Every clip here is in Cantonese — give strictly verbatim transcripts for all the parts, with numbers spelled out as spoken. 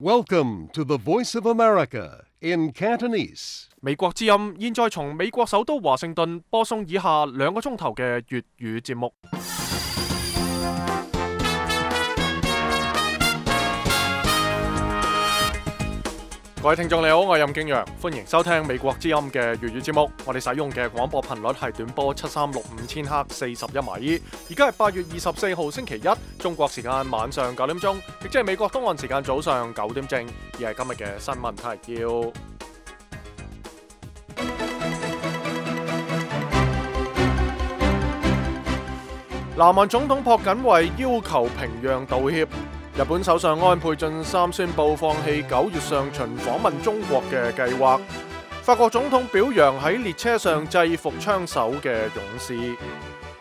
Welcome to the Voice of America in Cantonese. 美國之音現在從美國首都華盛頓播送以下兩個鐘頭嘅粵語節目。各位聽眾你好，我係任敬陽，歡迎收聽美國之音嘅粵語節目。我哋使用嘅廣播頻率係短波七三六五千赫四十一米。而家係八月二十四號星期一，中國時間晚上九點鐘，亦即係美國東岸時間早上九點正。而係今日嘅新聞提要。南韓總統朴槿惠要求平壤道歉。日本首相安倍晉三宣布放棄九月上旬訪問中國嘅計劃。法國總統表揚喺列車上制服槍手嘅勇士。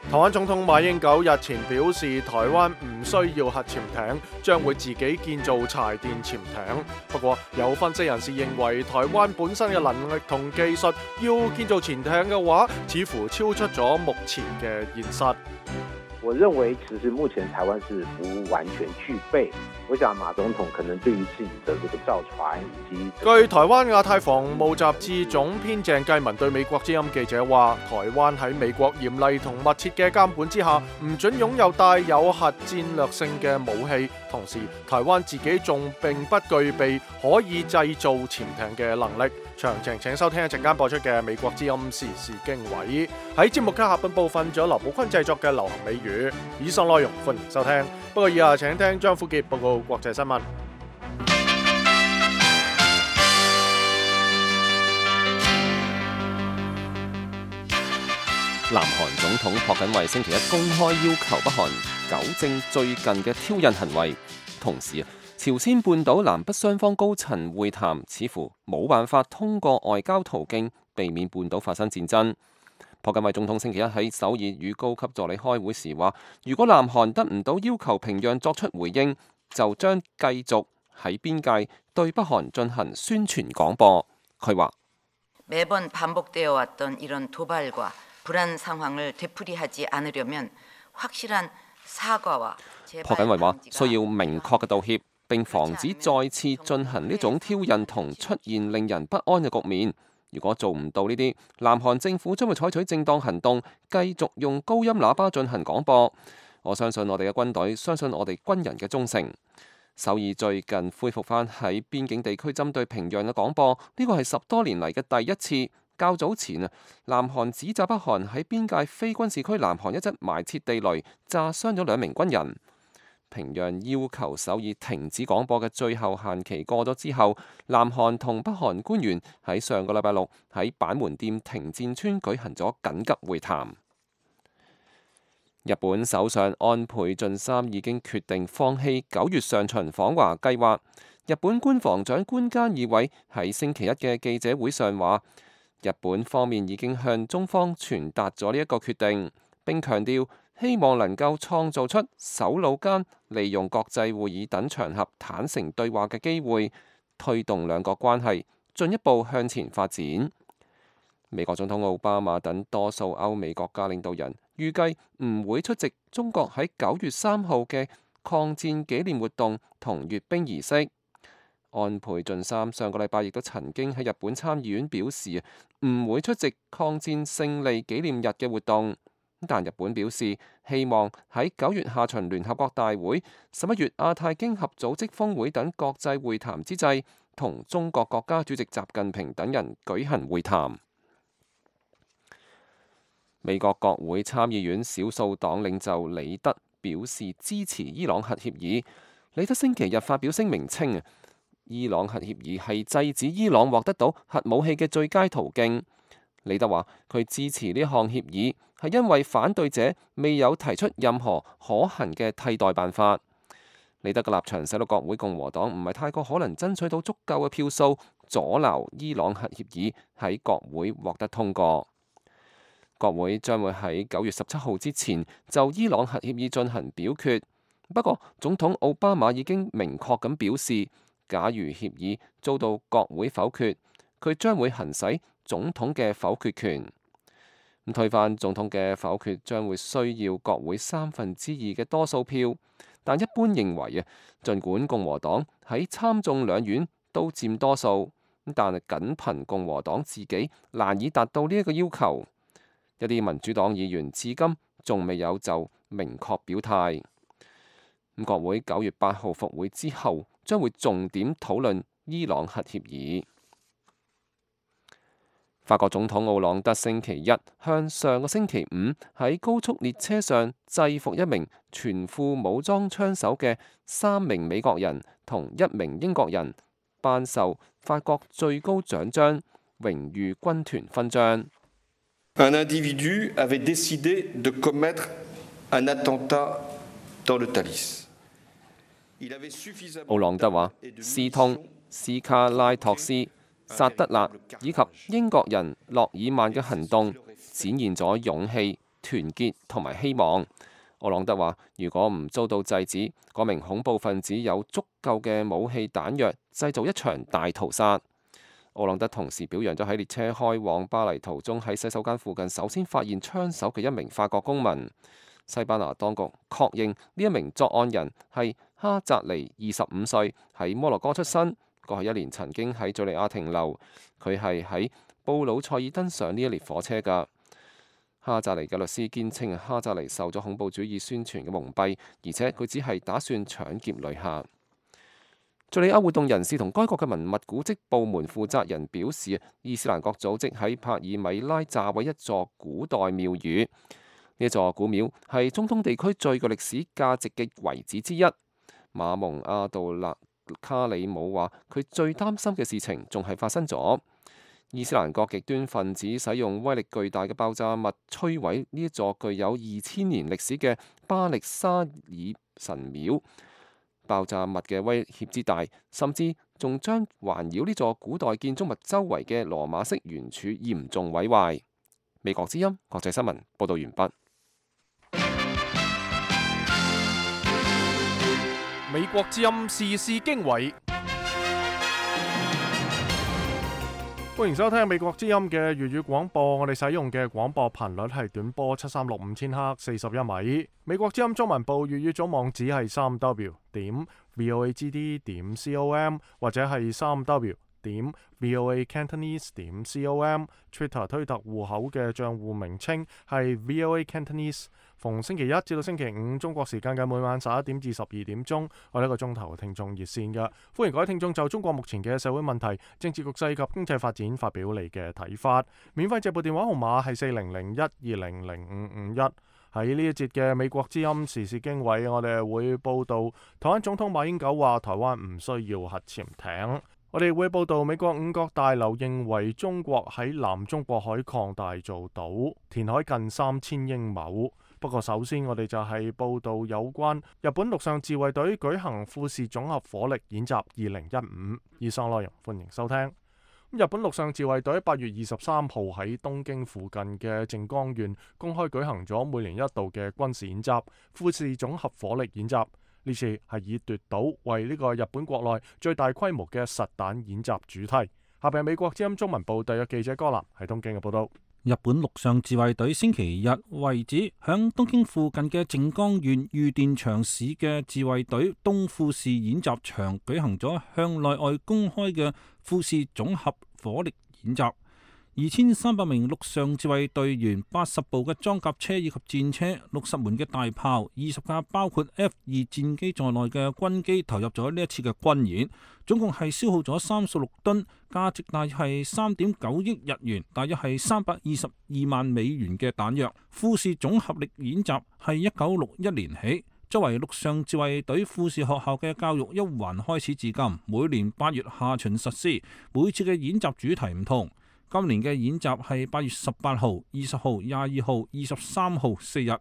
台灣總統馬英九日前表示，台灣唔需要核潛艇，將會自己建造柴電潛艇。不過有分析人士認為，台灣本身嘅能力同技術要建造潛艇嘅話，似乎超出咗目前嘅現實。我認為其實目前台灣是不完全具備。我想馬總統可能對於自己的這個造船以及據台灣亞太防務雜誌總編鄭繼文對美國之音記者話，台灣喺美國嚴厲同密切嘅監管之下，唔准擁有帶有核戰略性嘅武器。同時，台灣自己仲並不具備可以製造潛艇嘅能力。詳情請收聽一陣間播出嘅美國之音時事經緯。喺節目嘅下半部分，仲有劉寶坤製作嘅流行美語。以上內容歡迎收聽。不過以下請聽張富傑報告國際新聞。南韓總統朴槿惠星期一公開要求北韓糾正最近嘅挑釁行為，同時朝鮮半島南北雙方高層會談似乎冇辦法通過外交途徑避免半島發生戰爭。朴槿惠總統星期一喺首爾與高級助理開會時話，如果南韓得唔到要求平壤作出回應，就將繼續喺邊界對北韓進行宣傳廣播。佢話朴槿惠話需要明確嘅道歉，並防止再次進行呢種挑釁同出現令人不安嘅局面。如果做唔到呢啲，南韓政府將會採取正當行動，繼續用高音喇叭進行廣播。我相信我哋嘅軍隊，相信我哋軍人嘅忠誠。首爾最近恢復返喺邊境地區針對平壤嘅廣播，呢個係十多年嚟嘅第一次。較早前啊，南韓指責北韓喺邊界非軍事區南韓一側埋設地雷，炸傷咗兩名軍人。平壤要求首爾停止廣播嘅最後限期過咗之後，南韓同北韓官員喺上個禮拜六喺板門店停戰村舉行咗緊急會談。日本首相安倍晉三已經決定放棄九月上旬訪華計劃。日本官房長官菅義偉喺星期一嘅記者會上話，日本方面已經向中方傳達咗呢一個決定，並強調希望能夠創造出首腦間利用國際會議等場合坦誠對話嘅機會，推動兩國關係進一步向前發展。美國總統奧巴馬等多數歐美國家領導人預計唔會出席中國喺九月三號嘅抗戰紀念活動同閱兵儀式。安倍晉三上個禮拜亦都曾經喺日本參議院表示唔會出席抗戰勝利紀念日嘅活動，但日本表示希望喺九月下旬聯合國大會、十一月亞太經合組織峰會等國際會談之際，同中國國家主席習近平等人舉行會談。美國國會參議院少數黨領袖李德表示支持伊朗核協議。李德星期日發表聲明稱，伊朗核協議係制止伊朗獲得到核武器嘅最佳途徑。李德話佢支持呢項協議係因為反對者未有提出任何可行嘅替代辦法。李德嘅立場使到國會共和黨唔係太過可能爭取到足夠嘅票數阻撓伊朗核協議喺國會獲得通過。國會將會喺九月十七號之前就伊朗核協議進行表決。不過總統奧巴馬已經明確咁表示，假如協議遭到國會否決，佢將會行使總統嘅否決權。推翻總統嘅否決將會需要國會三分之二嘅多數票，但一般認為啊，儘管共和黨喺參眾兩院都佔多數，但係僅憑共和黨自己難以達到呢一個要求。一啲民主黨議員至今仲未有就明確表態。咁國會九月八號復會之後，將會重點討論伊朗核協議。法國總統奧朗德星期一向上個星期五喺高速列車上制服一名全副武裝槍手嘅三名美國人同一名英國人，頒授法國最高獎章榮譽軍團勳章。Un individu avait décidé de commettre un attentat dans le Thalys. 奧朗德話：斯通、斯卡拉托斯、薩德勒以及英國人諾爾曼嘅行動展現咗勇氣、團結同埋希望。奧朗德話：如果唔遭到制止，嗰名恐怖分子有足夠嘅武器彈藥，製造一場大屠殺。奧朗德同時表揚咗喺列車開往巴黎途中喺洗手間附近首先發現槍手嘅一名法國公民。西班牙當局確認呢一名作案人係哈扎尼，二十五歲，喺摩洛哥出生。過去一年曾經喺敘利亞停留，佢係喺布魯塞爾登上呢一列火車㗎。哈扎尼嘅律師堅稱，哈扎尼受咗恐怖主義宣傳嘅蒙蔽，而且佢只係打算搶劫旅客。敘利亞活動人士同該國嘅文物古蹟部門負責人表示，伊斯蘭國組織喺帕爾米拉炸毀一座古代廟宇，呢一座古廟係中東地區最具歷史價值嘅遺址之一。馬蒙阿杜勒卡里姆話：佢最擔心嘅事情仲係發生咗。伊斯蘭國極端分子使用威力巨大嘅爆炸物摧毀呢一座具有二千年歷史嘅巴力沙爾神廟。爆炸物嘅威脅之大，甚至仲將環繞呢座古代建築物周圍嘅羅馬式圓柱嚴重毀壞。美國之音國際新聞報道完畢。美國之音時事經緯，歡迎收聽美國之音嘅粵語廣播。我哋使用嘅廣播頻率係短波七三六五千赫，四十一米。美國之音中文部粵語組網址係三 w 點 voagd 點 com 或者係三 w 點 voacantonese 點 com。Twitter 推特戶口嘅賬戶名稱係 voacantonese。逢星期一至到星期五中國時間嘅每晚十一點至十二點鐘，我哋一個鐘頭嘅聽眾熱線嘅，歡迎各位聽眾就中國目前嘅社會問題、政治局勢及經濟發展發表你嘅睇法。免費直播電話號碼係四零零一二零零五五一。喺呢一節嘅美國之音時事經緯，我哋會報道台灣總統馬英九話台灣唔需要核潛艇。我哋會報道美國五角大樓認為中國喺南中國海擴大造島，填海近三千英畝。不過首先我哋就係報道有關日本陸上自衛隊舉行富士總合火力演習二零一五。以上內容歡迎收聽。日本陸上自衛隊八月二十三號喺東京附近嘅靜岡縣公開舉行咗每年一度嘅軍事演習富士總合火力演習，呢次係以奪島為呢個日本國內最大規模嘅實彈演習主題。下邊美國之音中文部特約記者柯南喺東京嘅報道。日本陸上自衛隊星期日為止響東京附近嘅靜岡縣御殿場市嘅自衛隊東富士演習場舉行咗向內外公開嘅富士總合火力演習。二千三百名陸上自衛隊員、八十部嘅裝甲車以及戰車、六十門嘅大炮、二十架包括 F 二戰機在內嘅軍機投入咗呢一次嘅軍演，總共係消耗咗三十六噸，價值大約係三點九億日元，大約係三百二十二萬美元嘅彈藥。富士總合力演習係一九六一年起，作為陸上自衛隊富士學校嘅教育一環開始至今，每年八月下旬實施，每次嘅演習主題唔同。今年嘅演習係八月十八號、二十號、廿二號、二十三號四日，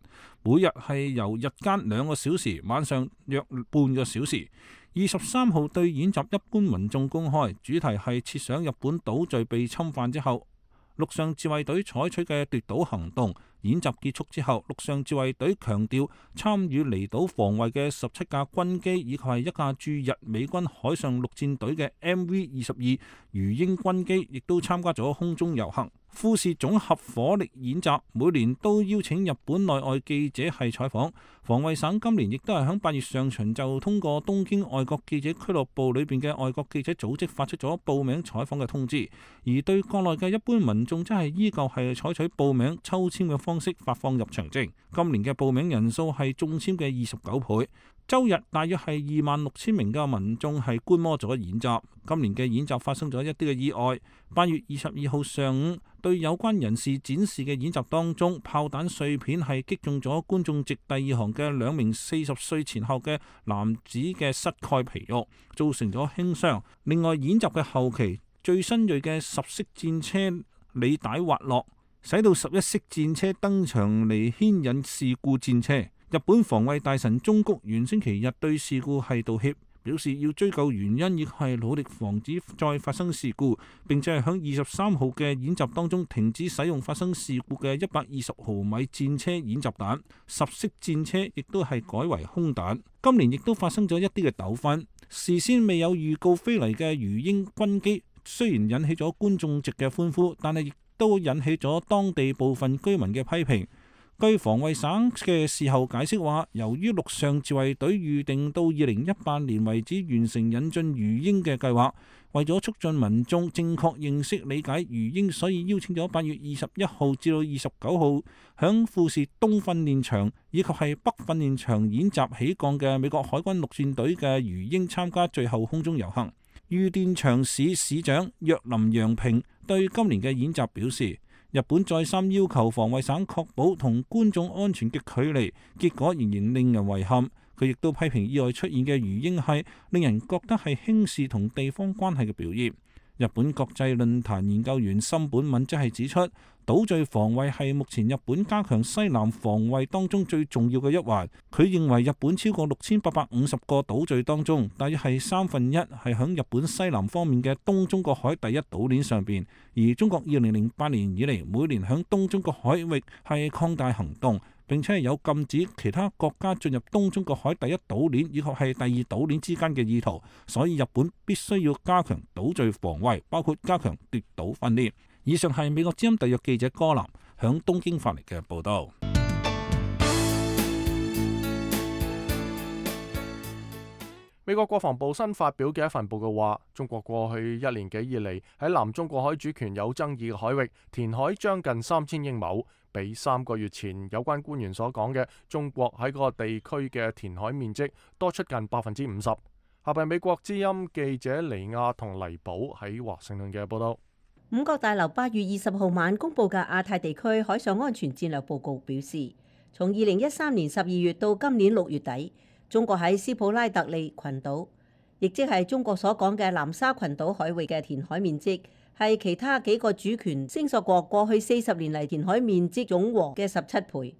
每日係由日間兩個小時，晚上約半個小時。二十三號對演習一般民眾公開，主題係設想日本島嶼被侵犯之後，陸上自衛隊採取嘅奪島行動，演習結束之後，陸上自衛隊強調參與離島防衛嘅十七架軍機以及係一架駐日美軍海上陸戰隊嘅 M V 二十二魚鷹軍機，亦都參加咗空中遊行。富士綜合火力演習每年都邀請日本內外記者係採訪，防衛省今年亦都係喺八月上旬就通過東京外國記者俱樂部裏邊嘅外國記者組織發出咗報名採訪嘅通知，而對國內嘅一般民眾則係依舊係採取報名抽籤嘅方式發放入場證。今年嘅報名人數係中籤嘅二十九倍。周日大約係二萬六千名嘅民眾係觀摩咗演習。今年嘅演習發生咗一啲嘅意外。八月二十二號上午，對有關人士展示嘅演習當中，炮彈碎片係擊中咗觀眾席第二行嘅兩名四十歲前後嘅男子嘅膝蓋皮肉，造成咗輕傷。另外，演習嘅後期，最新鋭嘅十式戰車履帶滑落，使到十一式戰車登場嚟牽引事故戰車。日本防衛大臣中谷元星期日對事故係道歉，表示要追究原因，亦係努力防止再發生事故，並且係響二十三號嘅演習當中停止使用發生事故嘅一百二十毫米戰車演習彈，十式戰車亦都係改為空彈。今年亦都發生咗一啲嘅糾紛，事先未有預告飛嚟嘅魚鷹軍機，雖然引起咗觀眾席嘅歡呼，但係亦都引起咗當地部分居民嘅批評。據防衛省嘅事後解釋話，由於陸上自衛隊預定到二零一八年為止完成引進魚鷹嘅計劃，為咗促進民眾正確認識理解魚鷹，所以邀請咗八月二十一號至到二十九號響富士東訓練場以及係北訓練場演習起降嘅美國海軍陸戰隊嘅魚鷹參加最後空中遊行。御殿場市市長若林洋平對今年嘅演習表示，日本再三要求防衛省確保同觀眾安全嘅距離，結果仍然令人遺憾。佢亦都批評意外出現嘅魚鷹係令人覺得係輕視同地方關係嘅表現。日本國際論壇研究員森本敏則係指出，島嶼防衛係目前日本加強西南防衛當中最重要嘅一環。佢認為日本超過六千八百五十個島嶼當中，大約係三分一係響日本西南方面嘅東中國海第一島鏈上邊，而中國二零零八年以嚟每年響東中國海域係擴大行動，並且係有禁止其他國家進入東中國海第一島鏈以及係第二島鏈之間嘅意圖，所以日本必須要加強島嶼防衛，包括加強奪島訓練。以上係美國之音特約記者柯南響東京發嚟嘅報道。美國國防部新發表嘅一份報告話，中國過去一年幾以嚟喺南中國海主權有爭議嘅海域填海將近三千英畝，比三個月前有關官員所講嘅中國喺嗰個地區嘅填海面積多出近百分之五十。下邊美國之音記者尼亞同黎寶喺華盛頓嘅報道。五角大樓八月二十號晚公佈嘅亞太地區海上安全戰略報告表示，從二零一三年十二月到今年六月底，中國喺斯普拉特利群島，亦即係中國所講嘅南沙群島海域嘅填海面積，係其他幾個主權聲索國過去四十年嚟填海面積總和嘅十七倍。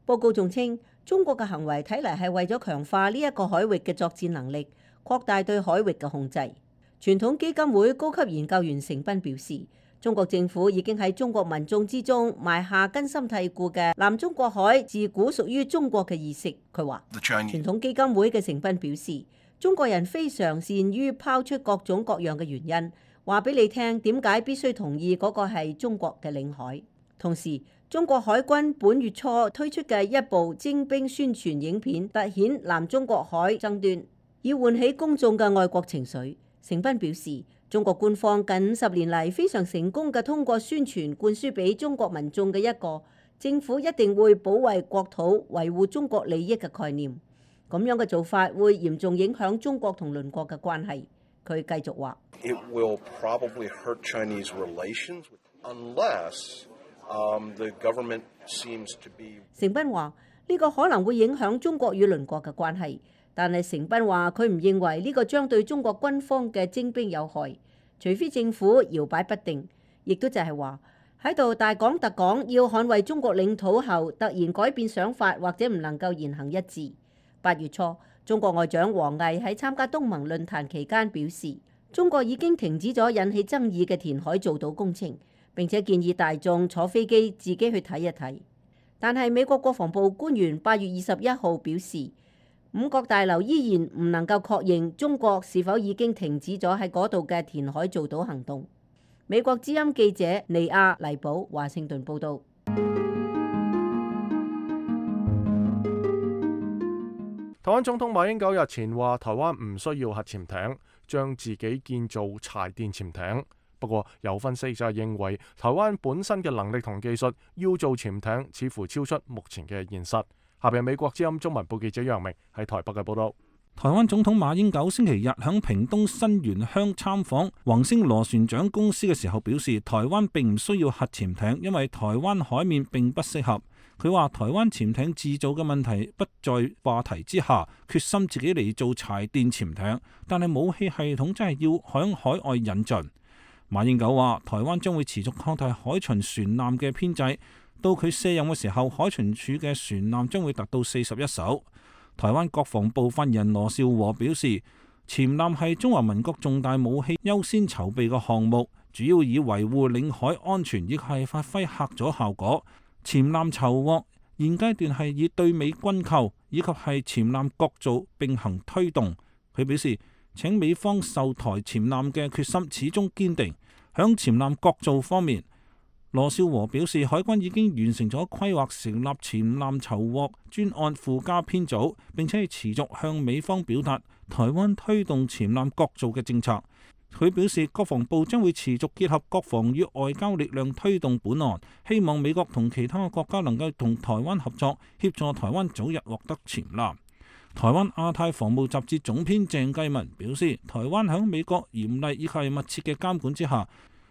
報告仲稱，中國嘅行為睇嚟係為咗強化呢一個海域嘅作戰能力，擴大對海域嘅控制。傳統基金會高級研究員成斌表示，中國政府已經喺中國民眾之中埋下根深蒂固嘅南中國海自古屬於中國嘅意識。佢話，傳統基金會嘅成斌表示，中國人非常善於拋出各種各樣嘅原因，話俾你聽點解必須同意嗰個係中國嘅領海。同時，中國海軍本月初推出嘅一部徵兵宣傳影片，凸顯南中國海爭端，以喚起公眾嘅愛國情緒。成斌表示，中國官方近五十年嚟非常成功嘅通過宣傳灌輸俾中國民眾嘅一個政府一定會保衛國土、維護中國利益嘅概念。咁樣嘅做法會嚴重影響中國同鄰國嘅關係。佢繼續話：It will probably hurt Chinese relations unless the government seems to be。成斌話：呢個可能會影響中國與鄰國嘅關係。但係成斌話佢唔認為呢個將對中國軍方嘅徵兵有害，除非政府搖擺不定，亦都就係話喺度大講特講要捍衛中國領土後，突然改變想法或者唔能夠言行一致。八月初，中國外長王毅喺參加東盟論壇期間表示，中國已經停止咗引起爭議嘅填海造島工程，並且建議大眾坐飛機自己去睇一睇。但係美國國防部官員八月二十一號表示，五角大樓依然唔能夠確認中國是否已經停止咗喺嗰度嘅填海造島行動。美國之音記者尼亞黎堡華盛頓報導。台灣總統馬英九日前話，台灣唔需要核潛艇，將自己建造柴電潛艇。不過有分析就係認為，台灣本身嘅能力同技術要做潛艇，似乎超出目前嘅現實。下邊美國之音中文部記者楊明喺台北嘅報道。台灣總統馬英九星期日響屏東新園鄉參訪宏星螺旋槳公司嘅時候表示，台灣並唔需要核潛艇，因為台灣海面並不適合。佢話台灣潛艇製造嘅問題不在話題之下，決心自己嚟做柴電潛艇，但係武器系統真係要響海外引進。馬英九話台灣將會持續擴大海巡船艦嘅編制，到佢卸任嘅時候，海巡署嘅船艦將會達到四十一艘。台灣國防部發言人羅紹和表示，潛艦係中華民國重大武器優先籌備嘅項目，主要以維護領海安全以及係發揮嚇阻效果。潛艦籌獲現階段係以對美軍購以及係潛艦國造並行推動。佢表示，請美方售台潛艦嘅決心始終堅定。響潛艦國造方面，羅紹和表示，海軍已經完成咗規劃成立潛艦籌獲專案附加編組，並且係持續向美方表達台灣推動潛艦國造嘅政策。佢表示，國防部將會持續結合國防與外交力量推動本案，希望美國同其他國家能夠同台灣合作，協助台灣早日獲得潛艦。台灣亞太防務雜誌總編鄭繼文表示，台灣喺美國嚴厲以及密切嘅監管之下，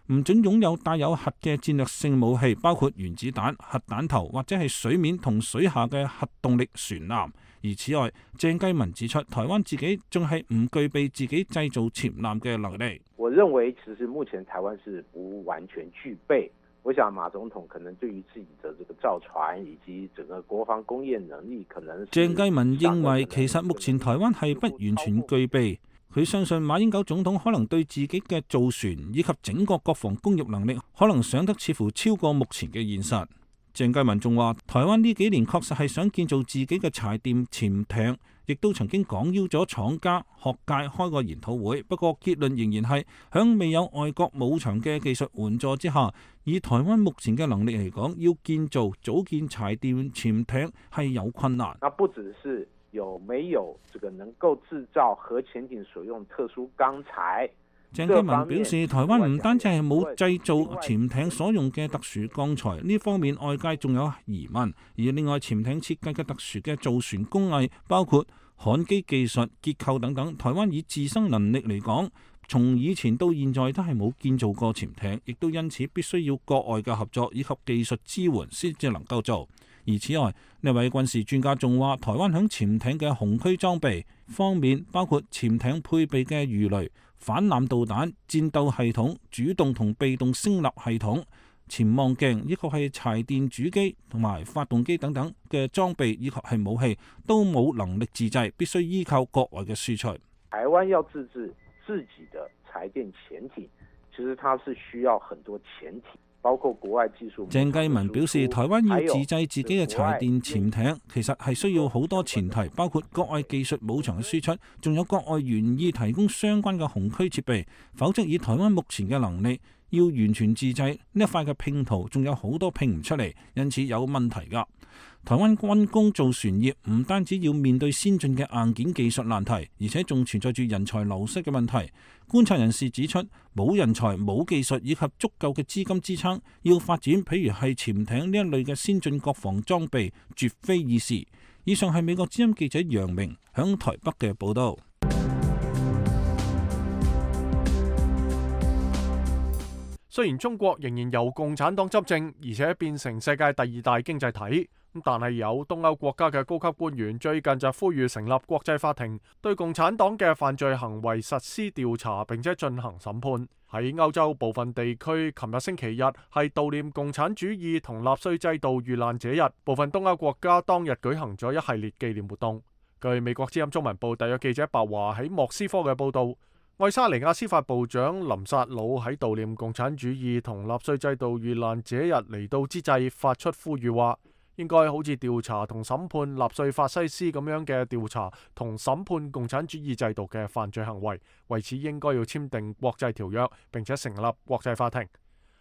唔准擁有帶有核嘅戰略性武器，包括原子彈、核彈頭或者係水面同水下嘅核動力船艦。而此外，鄭繼文指出，台灣自己仲係唔具備自己製造潛艦嘅能力。我認為其實目前台灣是不完全具備。我想馬總統可能對於自己的這個造船以及整個國防工業能力，可能鄭繼文認為其實目前台灣係不完全具備。佢相信馬英九總統可能對自己嘅造船以及整個國防工業能力，可能想得似乎超過目前嘅現實。鄭繼文仲話，台灣呢幾年確實係想建造自己嘅柴電潛艇，亦都曾經廣邀咗廠家、學界開過研討會。不過結論仍然係響未有外國武場嘅技術援助之下，以台灣目前嘅能力嚟講，要建造組建柴電潛艇係有困難。那不只是有沒有這個能夠製造核潛艇所用特殊鋼材。鄭繼文表示，台灣唔單止係冇製造潛艇所用嘅特殊鋼材，呢方面外界仲有疑問。而另外，潛艇設計嘅特殊嘅造船工藝，包括焊機技術、結構等等，台灣以自身能力嚟講，從以前到現在都係冇建造過潛艇，亦都因此必須要國外嘅合作以及技術支援先至能夠做。而此外，呢位軍事專家仲話，台灣響潛艇嘅紅區裝備方面，包括潛艇配備嘅魚雷、反艦導彈、戰鬥系統、主動同被動聲納系統、潛望鏡，以及係柴電主機同埋發動機等等嘅裝備以及係武器，都冇能力自製，必須依靠國外嘅輸出。台灣要自製自己的柴電潛艇，其實它是需要很多潛艇。包括國外技術。鄭繼文表示，台灣要自製自己嘅柴電潛艇，其實係需要好多前提，包括國外技術武場嘅輸出，仲有國外願意提供相關嘅紅區設備，否則以台灣目前嘅能力，要完全自製呢一塊嘅拼圖，仲有好多拼唔出嚟，因此有問題㗎。台灣軍工造船業唔單止要面對先進嘅硬件技術難題，而且仲存在住人才流失嘅問題。觀察人士指出，冇人才、冇技術以及足夠嘅資金支撐，要發展譬如係潛艇呢一類嘅先進國防裝備，絕非易事。以上係美國之音記者楊明響台北嘅報道。雖然中國仍然由共產黨執政，而且變成世界第二大經濟體，但係有東歐國家嘅高級官員最近就呼籲成立國際法庭，對共產黨嘅犯罪行為實施調查，並且進行審判。喺歐洲部分地區，琴日星期日係悼念共產主義同納粹制度遇難者日，部分東歐國家當日舉行咗一系列紀念活動。據美國之音中文部特約記者白華喺莫斯科嘅報道，愛沙尼亞司法部長林薩魯喺悼念共產主義同納粹制度遇難者日嚟到之際發出呼籲話，應該好似調查同審判納粹法西斯咁樣嘅調查同審判共產主義制度嘅犯罪行為，為此應該要簽訂國際條約，並且成立國際法庭。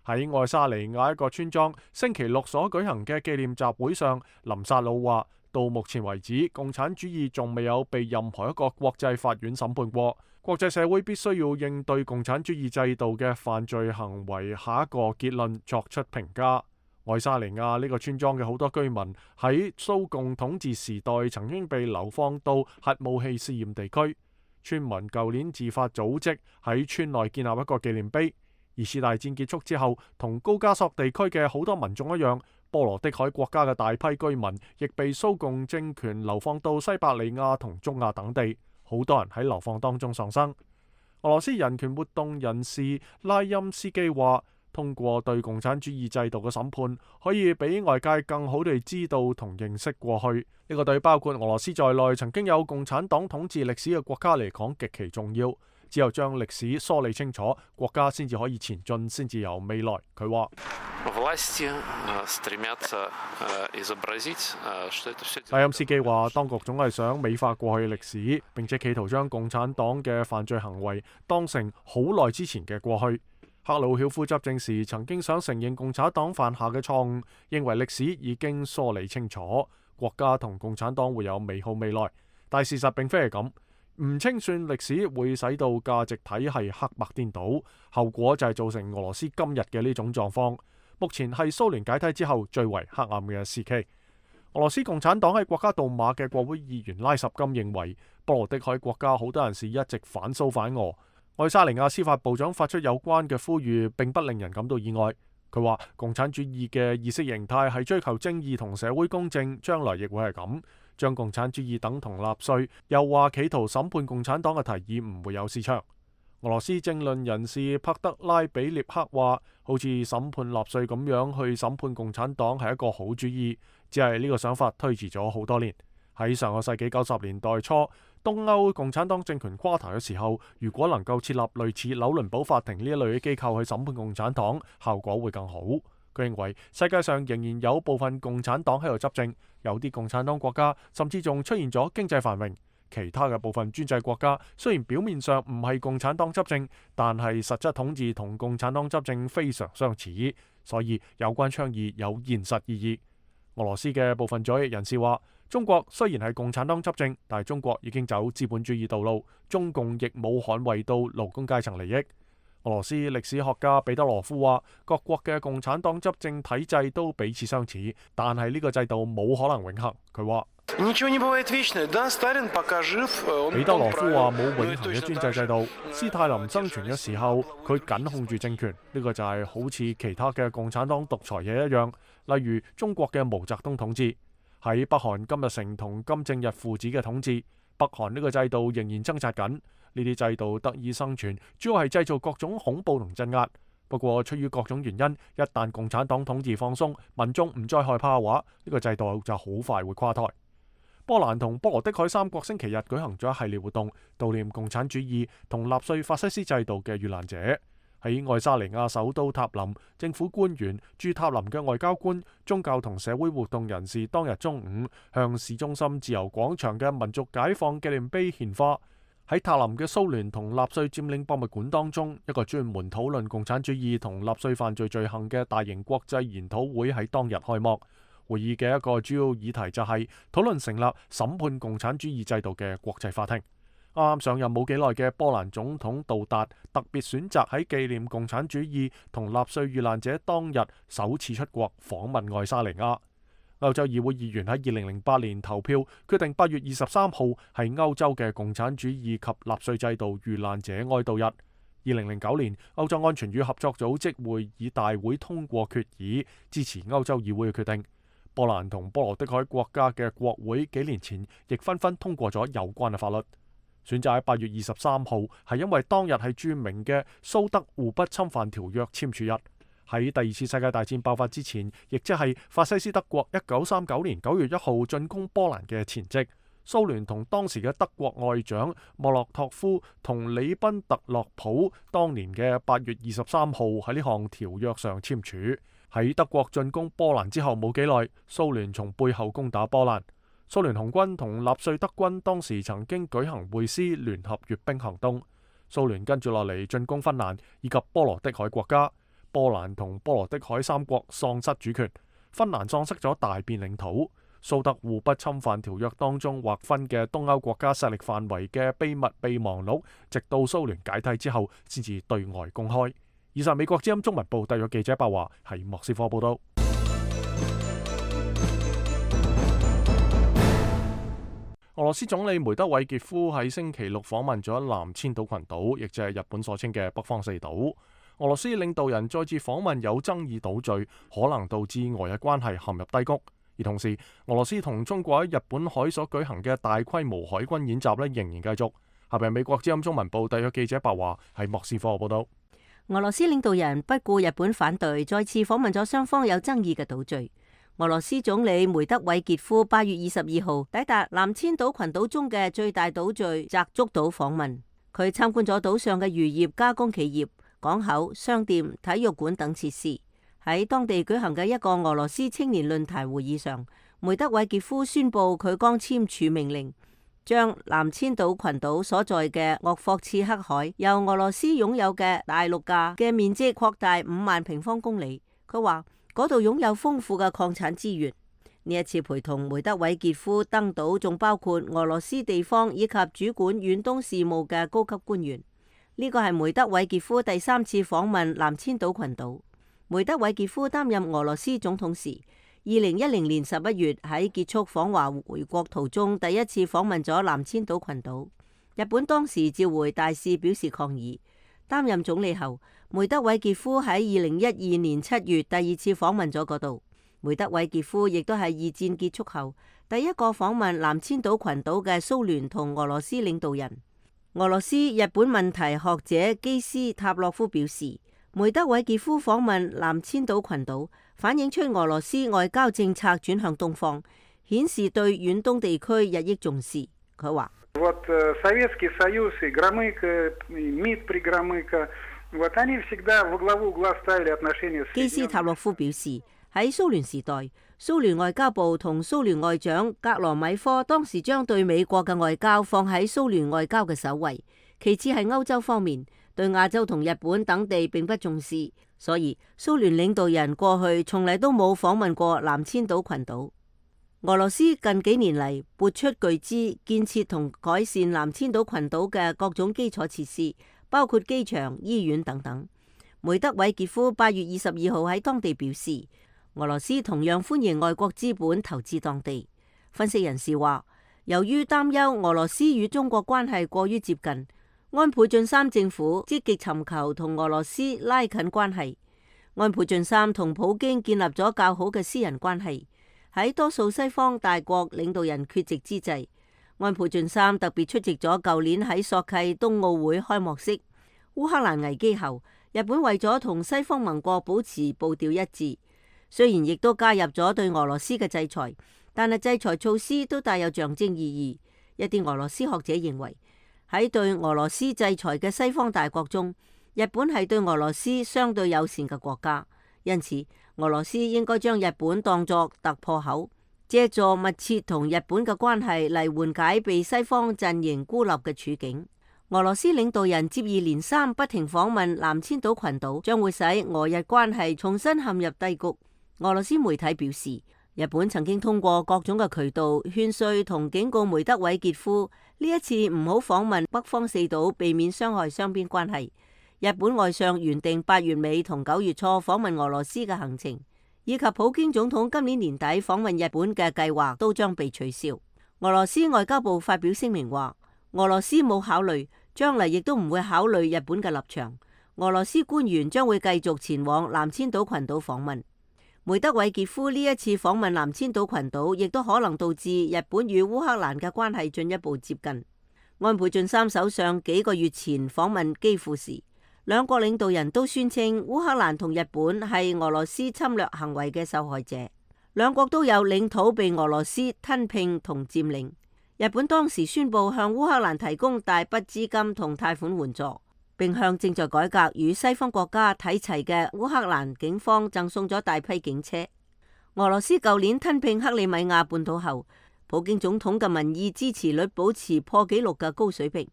喺愛沙尼亞一個村莊星期六所舉行嘅紀念集會上，林薩魯話：到目前為止，共產主義仲未有被任何一個國際法院審判過。國際社會必須要應對共產主義制度嘅犯罪行為下一個結論作出評價。愛沙尼亞呢個村莊嘅好多居民喺蘇共統治時代曾經被流放到核武器試驗地區。村民舊年自發組織喺村內建立一個紀念碑。二次大戰結束之後，同高加索地區嘅好多民眾一樣，波羅的海國家嘅大批居民亦被蘇共政權流放到西伯利亞同中亞等地，好多人喺流放當中喪生。俄羅斯人權活動人士拉欽斯基話：通過對共產主義制度嘅審判，可以俾外界更好地知道同認識過去。呢個對包括俄羅斯在內曾經有共產黨統治歷史嘅國家嚟講極其重要。只有將歷史梳理清楚，國家先至可以前進，先至有未來。佢話：拉欽斯基話，當局總係想美化過去嘅歷史，並且企圖將共產黨嘅犯罪行為當成好耐之前嘅過去。赫魯曉夫執政時曾經想承認共產黨犯下嘅錯誤，認為歷史已經梳理清楚，國家同共產黨會有美好未來。但事實並非係咁。唔清算歷史會使到價值體系黑白顛倒，後果就係造成俄羅斯今日嘅呢種狀況。目前係蘇聯解體之後最為黑暗嘅時期。俄羅斯共產黨喺國家杜馬嘅國會議員拉什金認為，波羅的海國家好多人士一直反蘇反俄。愛沙尼亞司法部長發出有關嘅呼籲，並不令人感到意外。佢話共產主義嘅意識形態係追求正義同社會公正，將來亦會係咁。將共產主義等同納粹，又話企圖審判共產黨嘅提議唔會有市場。俄羅斯政論人士帕德拉比列克話：好似審判納粹咁樣去審判共產黨係一個好主意，只係呢個想法推遲咗好多年。喺上個世紀九十年代初，東歐共產黨政權垮台嘅時候，如果能夠設立類似紐倫堡法庭呢一類嘅機構去審判共產黨，效果會更好。佢認為世界上仍然有部分共產黨喺度執政，有啲共產黨國家甚至仲出現咗經濟繁榮。其他嘅部分專制國家雖然表面上唔係共產黨執政，但係實質統治同共產黨執政非常相似，所以有關倡議有現實意義。俄羅斯嘅部分左翼人士話：中國雖然係共產黨執政，但係中國已經走資本主義道路，中共亦冇捍衛到勞工階層利益。俄羅斯歷史學家彼得羅夫話：各國嘅共產黨執政體制都彼此相似，但係呢個制度冇可能永恆。佢話：彼得羅夫話冇永恆嘅專制制度。斯大林生存嘅時候，佢緊控住政權，呢、這個就係好似其他嘅共產黨獨裁者一樣。例如中國嘅毛澤東統治，喺北韓金日成同金正日父子嘅統治，北韓呢個制度仍然掙扎緊。呢啲制度得以生存，主要係製造各種恐怖同鎮壓。不過，出於各種原因，一旦共產黨統治放鬆，民眾唔再害怕嘅話，呢個制度就好快會垮台。波蘭同波羅的海三國星期日舉行咗一系列活動，悼念共產主義同納粹法西斯制度嘅遇難者。喺愛沙尼亞首都塔林，政府官員、駐塔林嘅外交官、宗教同社會活動人士當日中午向市中心自由廣場嘅民族解放紀念碑獻花。喺塔林嘅蘇聯同納粹佔領博物館當中，一個專門討論共產主義同納粹犯罪罪行嘅大型國際研討會喺當日開幕。會議嘅一個主要議題就係討論成立審判共產主義制度嘅國際法庭。啱啱上任冇幾耐嘅波蘭總統杜達特別選擇喺紀念共產主義同納粹遇難者當日首次出國訪問愛沙尼亞。歐洲議會議員喺二零零八年投票決定八月二十三號係歐洲嘅共產主義及納粹制度遇難者哀悼日。二零零九年，歐洲安全與合作組織會議大會通過決議，支持歐洲議會嘅決定。波蘭同波羅的海國家嘅國會幾年前亦紛紛通過咗有關嘅法律。選擇喺八月二十三號係因為當日係著名嘅蘇德互不侵犯條約簽署日。喺第二次世界大戰爆發之前，亦即係法西斯德國一九三九年九月一號進攻波蘭嘅前夕，蘇聯同當時嘅德國外長莫洛托夫同里賓特洛普當年嘅八月二十三號喺呢項條約上簽署。喺德國進攻波蘭之後冇幾耐，蘇聯從背後攻打波蘭。蘇聯紅軍同納粹德軍當時曾經舉行會師聯合閱兵行動。蘇聯跟住落嚟進攻芬蘭以及波羅的海國家，波蘭同波羅的海三國喪失主權，芬蘭喪失咗大片領土。蘇德互不侵犯條約當中劃分嘅東歐國家勢力範圍嘅秘密備忘錄，直到蘇聯解體之後先至對外公開。以上美國之音中文部特約記者白華喺莫斯科報道。俄羅斯總理梅德韋傑夫喺星期六訪問咗南千島群島，亦即係日本所稱嘅北方四島。俄羅斯領導人再次訪問有爭議島嶼，可能導致俄日關係陷入低谷。而同時，俄羅斯同中國喺日本海所舉行嘅大規模海軍演習咧，仍然繼續。下邊美國之音中文部特約記者白華喺莫斯科報道。俄羅斯領導人不顧日本反對，再次訪問咗雙方有爭議嘅島嶼。俄羅斯總理梅德韋傑夫八月二十二號抵達南千島群島中嘅最大島嶼澤竹島訪問，佢參觀咗島上嘅漁業加工企業、港口、商店、體育館等設施。喺當地舉行嘅一個俄羅斯青年論壇會議上，梅德韋傑夫宣布佢剛簽署命令，將南千島群島所在嘅鄂霍次克海由俄羅斯擁有嘅大陸架嘅面積擴大五萬平方公里。佢話嗰度擁有豐富嘅礦產資源。呢一次陪同梅德韋傑夫登島，仲包括俄羅斯地方以及主管遠東事務嘅高級官員。呢個係梅德韋傑夫第三次訪問南千島群島。梅德韋傑夫擔任俄羅斯總統時，二零一零年十一月喺結束訪華回國途中，第一次訪問咗南千島群島。日本當時召回大使表示抗議。擔任總理後，梅德韋傑夫喺二零一二年七月第二次訪問咗嗰度。梅德韋傑夫亦都係二戰結束後第一個訪問南千島群島嘅蘇聯同俄羅斯領導人。俄羅斯日本問題學者基斯塔洛夫表示，梅德韋傑夫訪問南千島群島，反映出俄羅斯外交政策轉向東方，顯示對遠東地區日益重視。佢話基斯塔洛夫表示，喺蘇聯時代，蘇聯外交部同蘇聯外長格羅米科當時將對美國嘅外交放喺蘇聯外交嘅首位，其次係歐洲方面，對亞洲同日本等地並不重視，所以蘇聯領導人過去從嚟都冇訪問過南千島群島。俄羅斯近幾年嚟撥出巨資建設同改善南千島群島嘅各種基礎設施，包括機場、醫院等等。梅德韋傑夫八月二十二號喺當地表示，俄羅斯同樣歡迎外國資本投資當地。分析人士話，由於擔憂俄羅斯與中國關係過於接近，安倍晉三政府積極尋求同俄羅斯拉近關係。安倍晉三同普京建立咗較好嘅私人關係。喺多數西方大國領導人缺席之際，安倍晉三特別出席咗舊年喺索契冬奧會開幕式。烏克蘭危機後，日本為咗同西方盟國保持步調一致，雖然亦都加入咗對俄羅斯嘅制裁，但係制裁措施都帶有象徵意義。一啲俄羅斯學者認為，喺對俄羅斯制裁嘅西方大國中，日本係對俄羅斯相對友善嘅國家，因此俄羅斯應該將日本當作突破口，借助密切同日本嘅關係嚟緩解被西方陣營孤立嘅處境。俄羅斯領導人接二連三不停訪問南千島群島，將會使俄日關係重新陷入低谷。俄羅斯媒體表示，日本曾經通過各種嘅渠道勸說同警告梅德韋傑夫呢一次唔好訪問北方四島，避免傷害雙邊關係。日本外相原定八月尾同九月初訪問俄羅斯嘅行程，以及普京總統今年年底訪問日本嘅計劃都將被取消。俄羅斯外交部發表聲明話，俄羅斯冇考慮，將來亦都唔會考慮日本嘅立場。俄羅斯官員將會繼續前往南千島群島訪問。梅德韋傑夫呢一次訪問南千島群島，亦都可能導致日本與烏克蘭嘅關係進一步接近。安倍晉三首相幾個月前訪問基輔時，兩國領導人都宣稱烏克蘭同日本係俄羅斯侵略行為嘅受害者，兩國都有領土被俄羅斯吞併同佔領。日本當時宣布向烏克蘭提供大筆資金同貸款援助。並向正在改革與西方國家睇齊嘅烏克蘭警方贈送咗大批警車。俄羅斯舊年吞併克里米亞半島後，普京總統嘅民意支持率保持破紀錄嘅高水平。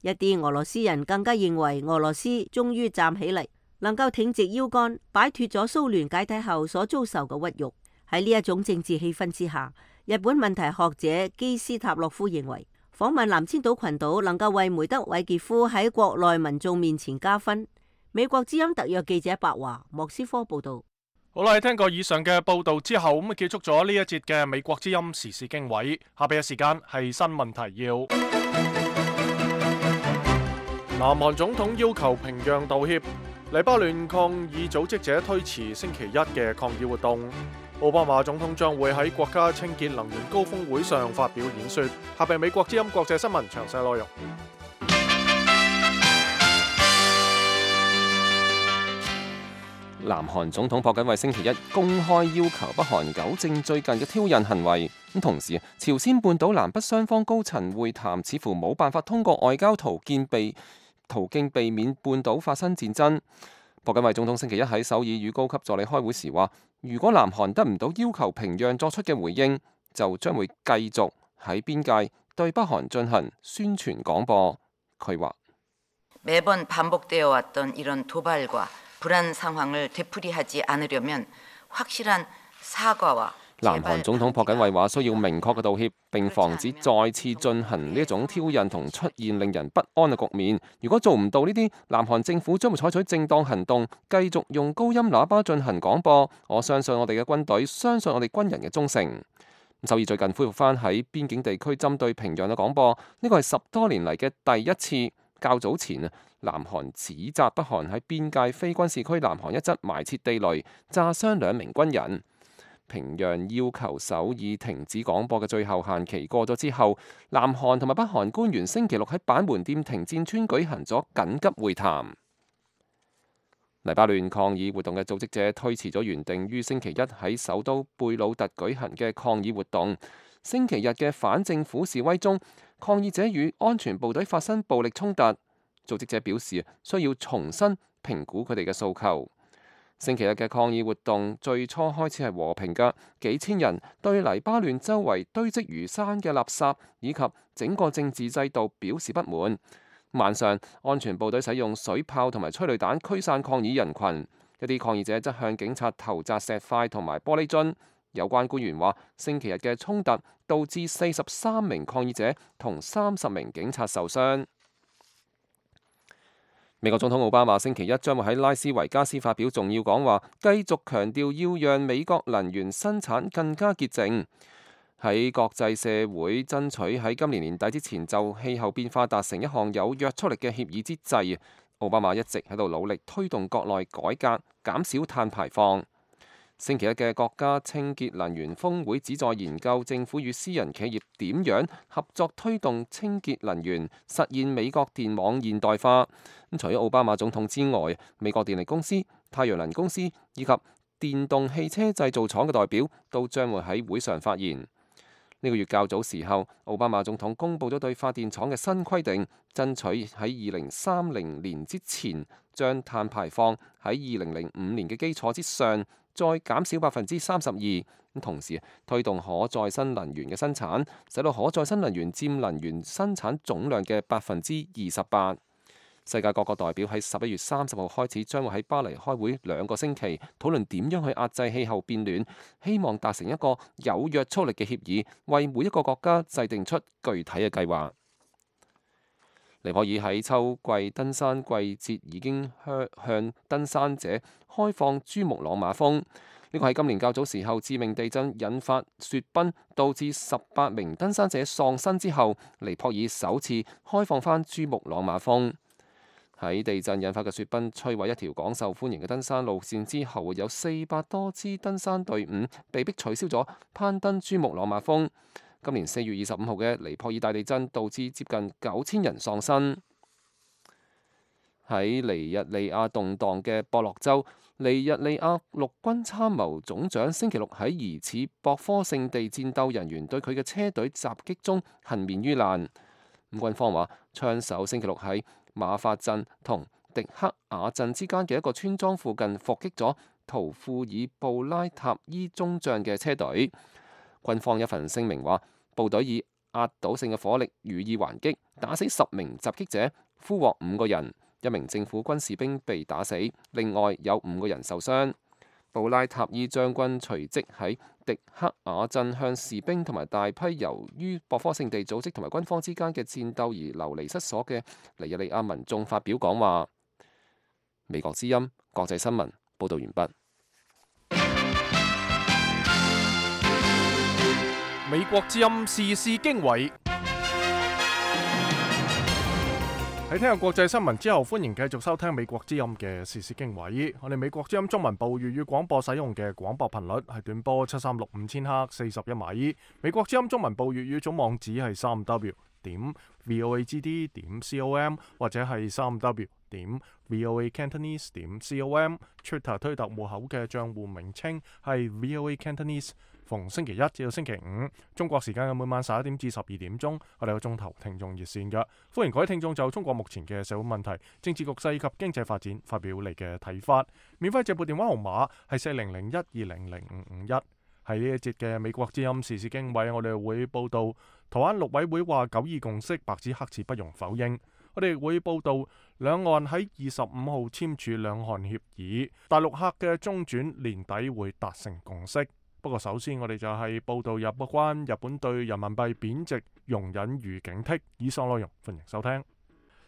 一啲俄羅斯人更加認為俄羅斯終於站起嚟，能夠挺直腰桿，擺脫咗蘇聯解體後所遭受嘅屈辱。喺呢一種政治氣氛之下，日本問題學者基斯塔洛夫認為，訪問南千島群島能夠為梅德韋傑夫喺國內民眾面前加分。美國之音特約記者白華莫斯科報道。好啦，聽過以上嘅報道之後，咁結束咗呢一節嘅美國之音時事經緯。下邊嘅時間係新聞提要。南韓總統要求平壤道歉，黎巴嫩抗議組織者推遲星期一嘅抗議活動。奧巴馬總統將會喺國家清潔能源高峰會上發表演說。下邊美國之音國際新聞詳細內容。南韓總統朴槿惠星期一公開要求北韓糾正最近嘅挑釁行為。咁同時，朝鮮半島南北雙方高層會談似乎冇辦法通過外交途徑避途徑避免半島發生戰爭。朴槿惠總統星期一喺首爾與高級助理開會時話，如果南韓得唔到要求平壤作出嘅回應，就將會繼續喺邊界對北韓進行宣傳廣播。佢話南韓總統朴槿惠話需要明確嘅道歉，並防止再次進行呢一種挑釁同出現令人不安嘅局面。如果做唔到呢啲，南韓政府將會採取正當行動，繼續用高音喇叭進行廣播。我相信我哋嘅軍隊，相信我哋軍人嘅忠誠。首爾最近恢復翻喺邊境地區針對平壤嘅廣播，呢個係十多年嚟嘅第一次。較早前啊，南韓指責北韓喺邊界非軍事區南韓一側埋設地雷，炸傷兩名軍人。平壤要求首爾停止廣播嘅最後限期過咗之後，南韓同埋北韓官員星期六喺板門店停戰村舉行咗緊急會談。黎巴嫩抗議活動嘅組織者推遲咗原定於星期一喺首都貝魯特舉行嘅抗議活動。星期日嘅反政府示威中，抗議者與安全部隊發生暴力衝突。組織者表示需要重新評估佢哋嘅訴求。星期日嘅抗議活動最初開始係和平嘅，幾千人對黎巴嫩周圍堆積如山嘅垃圾以及整個政治制度表示不滿。晚上，安全部隊使用水炮同埋催淚彈驅散抗議人群，一啲抗議者則向警察投擲石塊同埋玻璃樽。有關官員話，星期日嘅衝突導致四十三名抗議者同三十名警察受傷。美國總統奧巴馬星期一將會喺拉斯維加斯發表重要講話，繼續強調要讓美國能源生產更加潔淨。喺國際社會爭取喺今年年底之前就氣候變化達成一項有約束力嘅協議之際，奧巴馬一直喺度努力推動國內改革，減少碳排放。星期一嘅國家清潔能源峰會旨在研究政府與私人企業點樣合作推動清潔能源，實現美國電網現代化。咁除咗奧巴馬總統之外，美國電力公司、太陽能公司以及電動汽車製造廠嘅代表都將會喺會上發言。呢個月較早時候，奧巴馬總統公布咗對發電廠嘅新規定，爭取喺二零三零年之前將碳排放喺二零零五年嘅基礎之上再減少百分之三十二。咁同時推動可再生能源嘅生產，使到可再生能源佔能源生產總量嘅百分之二十八。世界各國代表喺十一月三十號開始將會喺巴黎開會兩個星期，討論點樣去壓制氣候變暖，希望達成一個有約束力嘅協議，為每一個國家制定出具體嘅計劃。尼泊爾喺秋季登山季節已經向向登山者開放珠穆朗瑪峰。呢個係今年較早時候致命地震引發雪崩，導致十八名登山者喪生之後，尼泊爾首次開放返珠穆朗瑪峰。喺地震引發嘅雪崩摧毀一條廣受歡迎嘅登山路線之後，有四百多支登山隊伍被迫取消咗攀登珠穆朗瑪峰。今年四月二十五號嘅尼泊爾大地震導致接近九千人喪生。喺尼日利亞動盪嘅博洛州，尼日利亞陸軍參謀總長星期六喺疑似博科聖地戰鬥人員對佢嘅車隊襲擊中幸免於難。咁軍方話，槍手星期六喺馬法鎮同迪克雅鎮之間嘅一個村莊附近伏擊咗圖庫爾布拉塔伊中將嘅車隊。軍方一份聲明話，部隊以壓倒性嘅火力予以還擊，打死十名襲擊者，俘獲五個人，一名政府軍士兵被打死，另外有五個人受傷。布拉塔伊將軍隨即喺迪克雅鎮向士兵同埋大批由於博科聖地組織同埋軍方之間嘅戰鬥而流離失所嘅尼日利亞民眾發表講話。美國之音國際新聞報道完畢。美國之音時事經緯。喺聽日國際新聞之後，歡迎繼續收聽美國之音嘅時事經緯。我哋美國之音中文部粵語廣播使用嘅廣播頻率係短波七三六五千赫四十一米。美國之音中文部粵語總網址係三 w 點 voagd 點 com 或者係三 w 點 voacantonese 點 com。Twitter 推特戶口嘅賬戶名稱係 voacantonese。逢星期一至到星期五，中國時間嘅每晚十一點至十二點鐘，我哋有鐘頭聽眾熱線嘅，歡迎各位聽眾就中國目前嘅社會問題、政治局勢及經濟發展發表你嘅睇法。免費直撥電話號碼係四零零一二零零五五一。喺呢一節嘅美國之音時事經緯，我哋會報道台灣陸委會話九二共識白紙黑字不容否認。我哋會報道兩岸喺二十五號簽署兩韓協議，大陸客嘅中轉年底會達成共識。不過首先我哋就係報道有關日本對人民幣貶值容忍與警惕。以上內容歡迎收聽。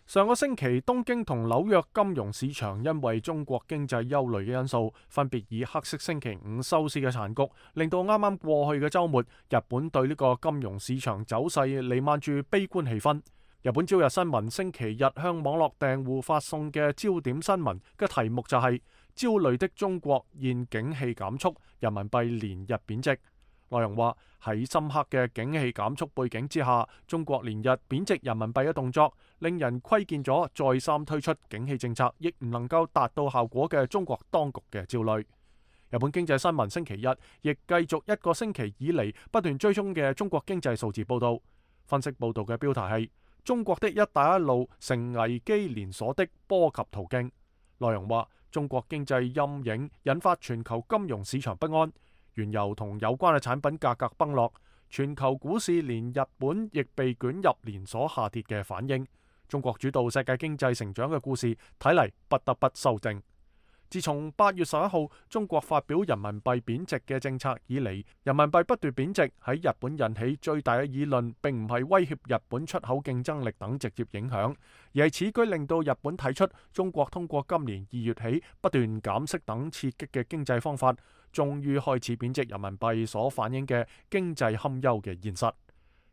上個星期東京同紐約金融市場因為中國經濟憂慮嘅因素，分別以黑色星期五收市嘅殘局，令到啱啱過去嘅週末日本對呢個金融市場走勢彌漫住悲觀氣氛。日本朝日新聞星期日向網絡訂戶發送嘅焦點新聞嘅題目就係、是焦慮的中國現景氣減速，人民幣連日貶值。內容話喺深刻嘅景氣減速背景之下，中國連日貶值人民幣嘅動作，令人窺見咗再三推出景氣政策亦唔能夠達到效果嘅中國當局嘅焦慮。日本經濟新聞星期日亦繼續一個星期以嚟不斷追蹤嘅中國經濟數字報導。分析報導嘅標題係中國的一帶一路成危機連鎖的波及途徑。內容話中國經濟陰影引發全球金融市場不安，原油同有關嘅產品價格崩落，全球股市連日本亦被捲入連鎖下跌嘅反應。中國主導世界經濟成長嘅故事睇嚟不得不修正。自從八月十一號中國發表人民幣貶值嘅政策以嚟，人民幣不斷貶值喺日本引起最大嘅議論，並唔係威脅日本出口競爭力等直接影響，而係此舉令到日本睇出中國通過今年二月起不斷減息等刺激嘅經濟方法，終於開始貶值人民幣所反映嘅經濟堪憂嘅現實。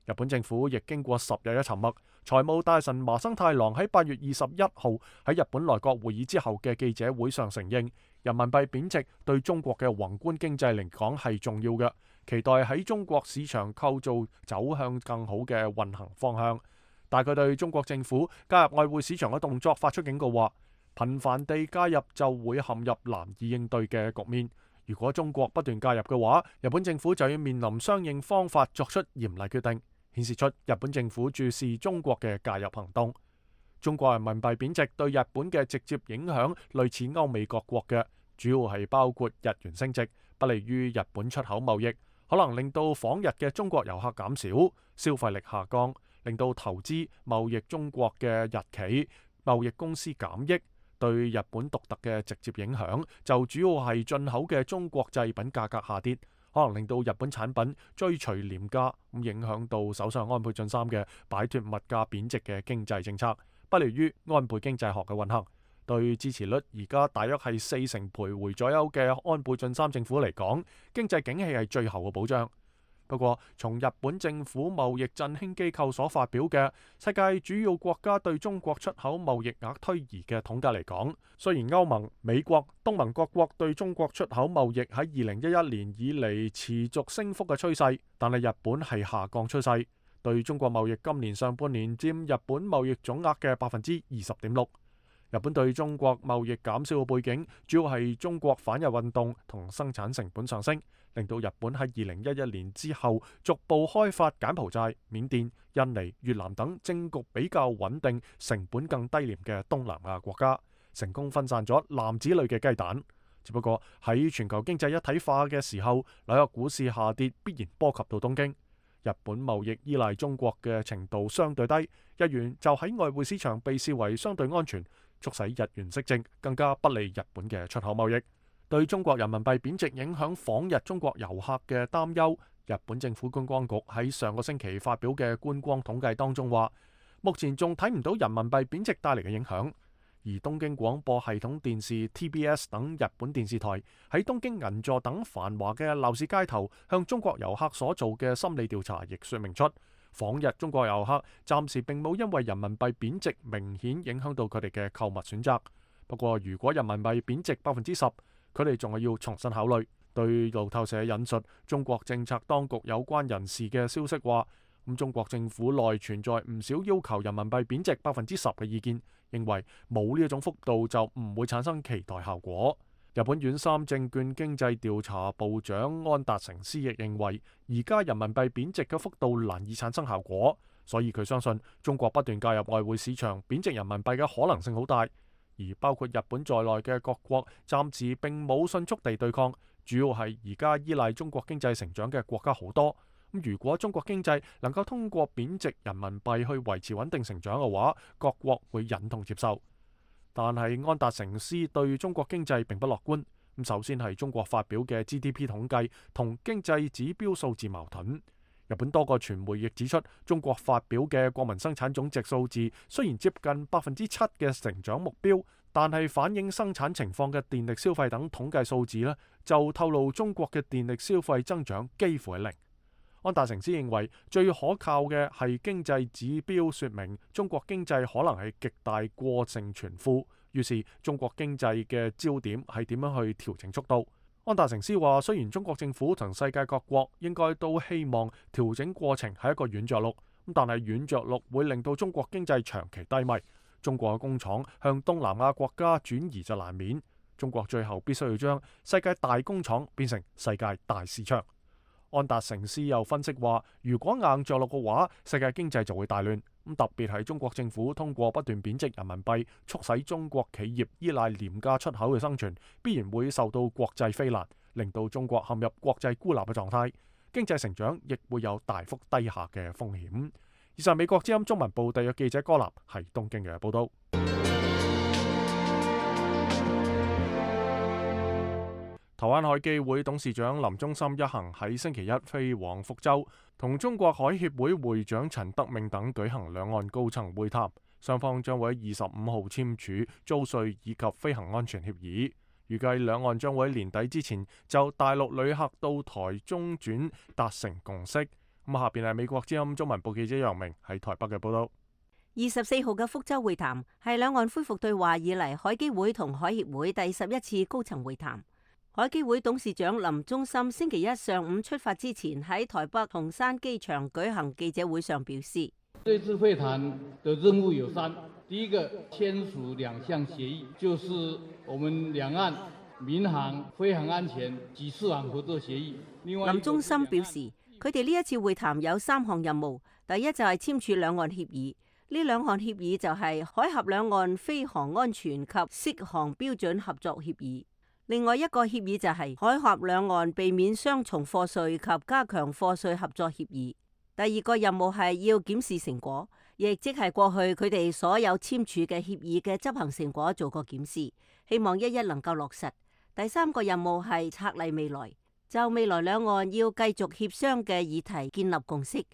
日本政府亦經過十日嘅沉默。財務大臣麻生太郎喺八月二十一號喺日本內閣會議之後嘅記者會上承認，人民幣貶值對中國嘅宏觀經濟嚟講係重要嘅，期待喺中國市場構造走向更好嘅運行方向。但佢對中國政府加入外匯市場嘅動作發出警告，話頻繁地加入就會陷入難以應對嘅局面。如果中國不斷加入嘅話，日本政府就要面臨相應方法作出嚴厲決定，顯示出日本政府注視中國嘅介入行動。中國人民幣貶值對日本嘅直接影響類似歐美各國嘅，主要係包括日元升值，不利於日本出口貿易，可能令到訪日嘅中國遊客減少，消費力下降，令到投資貿易中國嘅日企貿易公司減益。對日本獨特嘅直接影響就主要係進口嘅中國製品價格下跌，可能令到日本產品追隨廉價，咁影響到首相安倍晉三嘅擺脫物價貶值嘅經濟政策，不利於安倍經濟學嘅運行。對支持率而家大約係四成徘徊左右嘅安倍晉三政府嚟講，經濟景氣係最後嘅保障。不過，從日本政府貿易振興機構所發表嘅世界主要國家對中國出口貿易額推移嘅統計嚟講，雖然歐盟、美國、東盟各國對中國出口貿易喺二零一一年以嚟持續升幅嘅趨勢，但係日本係下降趨勢。對中國貿易今年上半年佔日本貿易總額嘅百分之二十點六。日本對中國貿易減少嘅背景，主要係中國反日運動同生產成本上升，令到日本喺二零一一年之後逐步開發柬埔寨、緬甸、印尼、越南等政局比較穩定、成本更低廉嘅東南亞國家，成功分散咗籃子裏嘅雞蛋。只不過喺全球經濟一體化嘅時候，紐約股市下跌必然波及到東京。日本貿易依賴中國嘅程度相對低，日元就喺外匯市場被視為相對安全，促使日元息值更加不利日本嘅出口貿易。對中國人民幣貶值影響訪日中國遊客嘅擔憂，日本政府觀光局喺上個星期發表嘅觀光統計當中話，目前仲睇唔到人民幣貶值帶嚟嘅影響。而東京廣播系統電視 T B S 等日本電視台喺東京銀座等繁華嘅鬧市街頭向中國遊客所做嘅心理調查，亦說明出訪日中國遊客暫時並冇因為人民幣貶值明顯影響到佢哋嘅購物選擇。不過如果人民幣貶值百分之十，佢哋仲係要重新考慮。對路透社引述中國政策當局有關人士嘅消息話，咁中國政府內存在唔少要求人民幣貶值百分之十嘅意見，認為冇呢一種幅度就唔會產生期待效果。日本遠三證券經濟調查部長安達成司亦認為，而家人民幣貶值嘅幅度難以產生效果，所以佢相信中國不斷介入外匯市場貶值人民幣嘅可能性好大。而包括日本在內嘅各國暫時並冇迅速地對抗，主要係而家依賴中國經濟成長嘅國家好多。咁如果中國經濟能夠通過貶值人民幣去維持穩定成長嘅話，各國會忍痛接受。但係安達成司對中國經濟並不樂觀。咁首先係中國發表嘅 G D P 統計同經濟指標數字矛盾。日本多個傳媒亦指出，中國發表嘅國民生產總值數字雖然接近百分之七嘅成長目標，但係反映生產情況嘅電力消費等統計數字呢，就透露中國嘅電力消費增長幾乎係零。安達成司認為最可靠嘅係經濟指標說明中國經濟可能係極大過剩存庫，於是中國經濟嘅焦點係點樣去調整速度。安達成司話，雖然中國政府同世界各國應該都希望調整過程係一個軟着陸，但係軟着陸會令到中國經濟長期低迷，中國嘅工廠向東南亞國家轉移就難免，中國最後必須要將世界大工廠變成世界大市場。安達成司又分析話，如果硬着陸嘅話，世界經濟就會大亂。咁特別係中國政府通過不斷貶值人民幣，促使中國企業依賴廉價出口嘅生存，必然會受到國際非難，令到中國陷入國際孤立嘅狀態，經濟成長亦會有大幅低下嘅風險。以上美國之音中文部特約記者柯立喺東京嘅報道。台灣海基會董事長林忠森一行喺星期一飛往福州，同中國海協會會長陳德銘等舉行兩岸高層會談，雙方將會喺二十五號簽署租稅以及飛行安全協議，預計兩岸將會喺年底之前就大陸旅客到台中轉達成共識。咁下邊係美國之音中文部記者楊明喺台北嘅報道。二十四號嘅福州會談係兩岸恢復對話以嚟海基會同海協會第十一次高層會談。海基會董事長林忠森星期一上午出發之前喺台北松山機場舉行記者會上表示，這次會談的任務有三，第一個簽署兩項協議，就是我們兩岸民航、飛航安全及適航合作協議。另外，林忠森表示，佢哋呢一次會談有三項任務，第一就係簽署兩岸協議，呢兩項協議就係海峽兩岸飛航安全及適航標準合作協議。另外一個協議就係海峽兩岸避免雙重課稅及加強課稅合作協議。第二個任務係要檢視成果，亦即係過去佢哋所有簽署嘅協議嘅執行成果做個檢視，希望一一能夠落實。第三個任務係策勵未來，就未來兩岸要繼續協商嘅議題建立共識，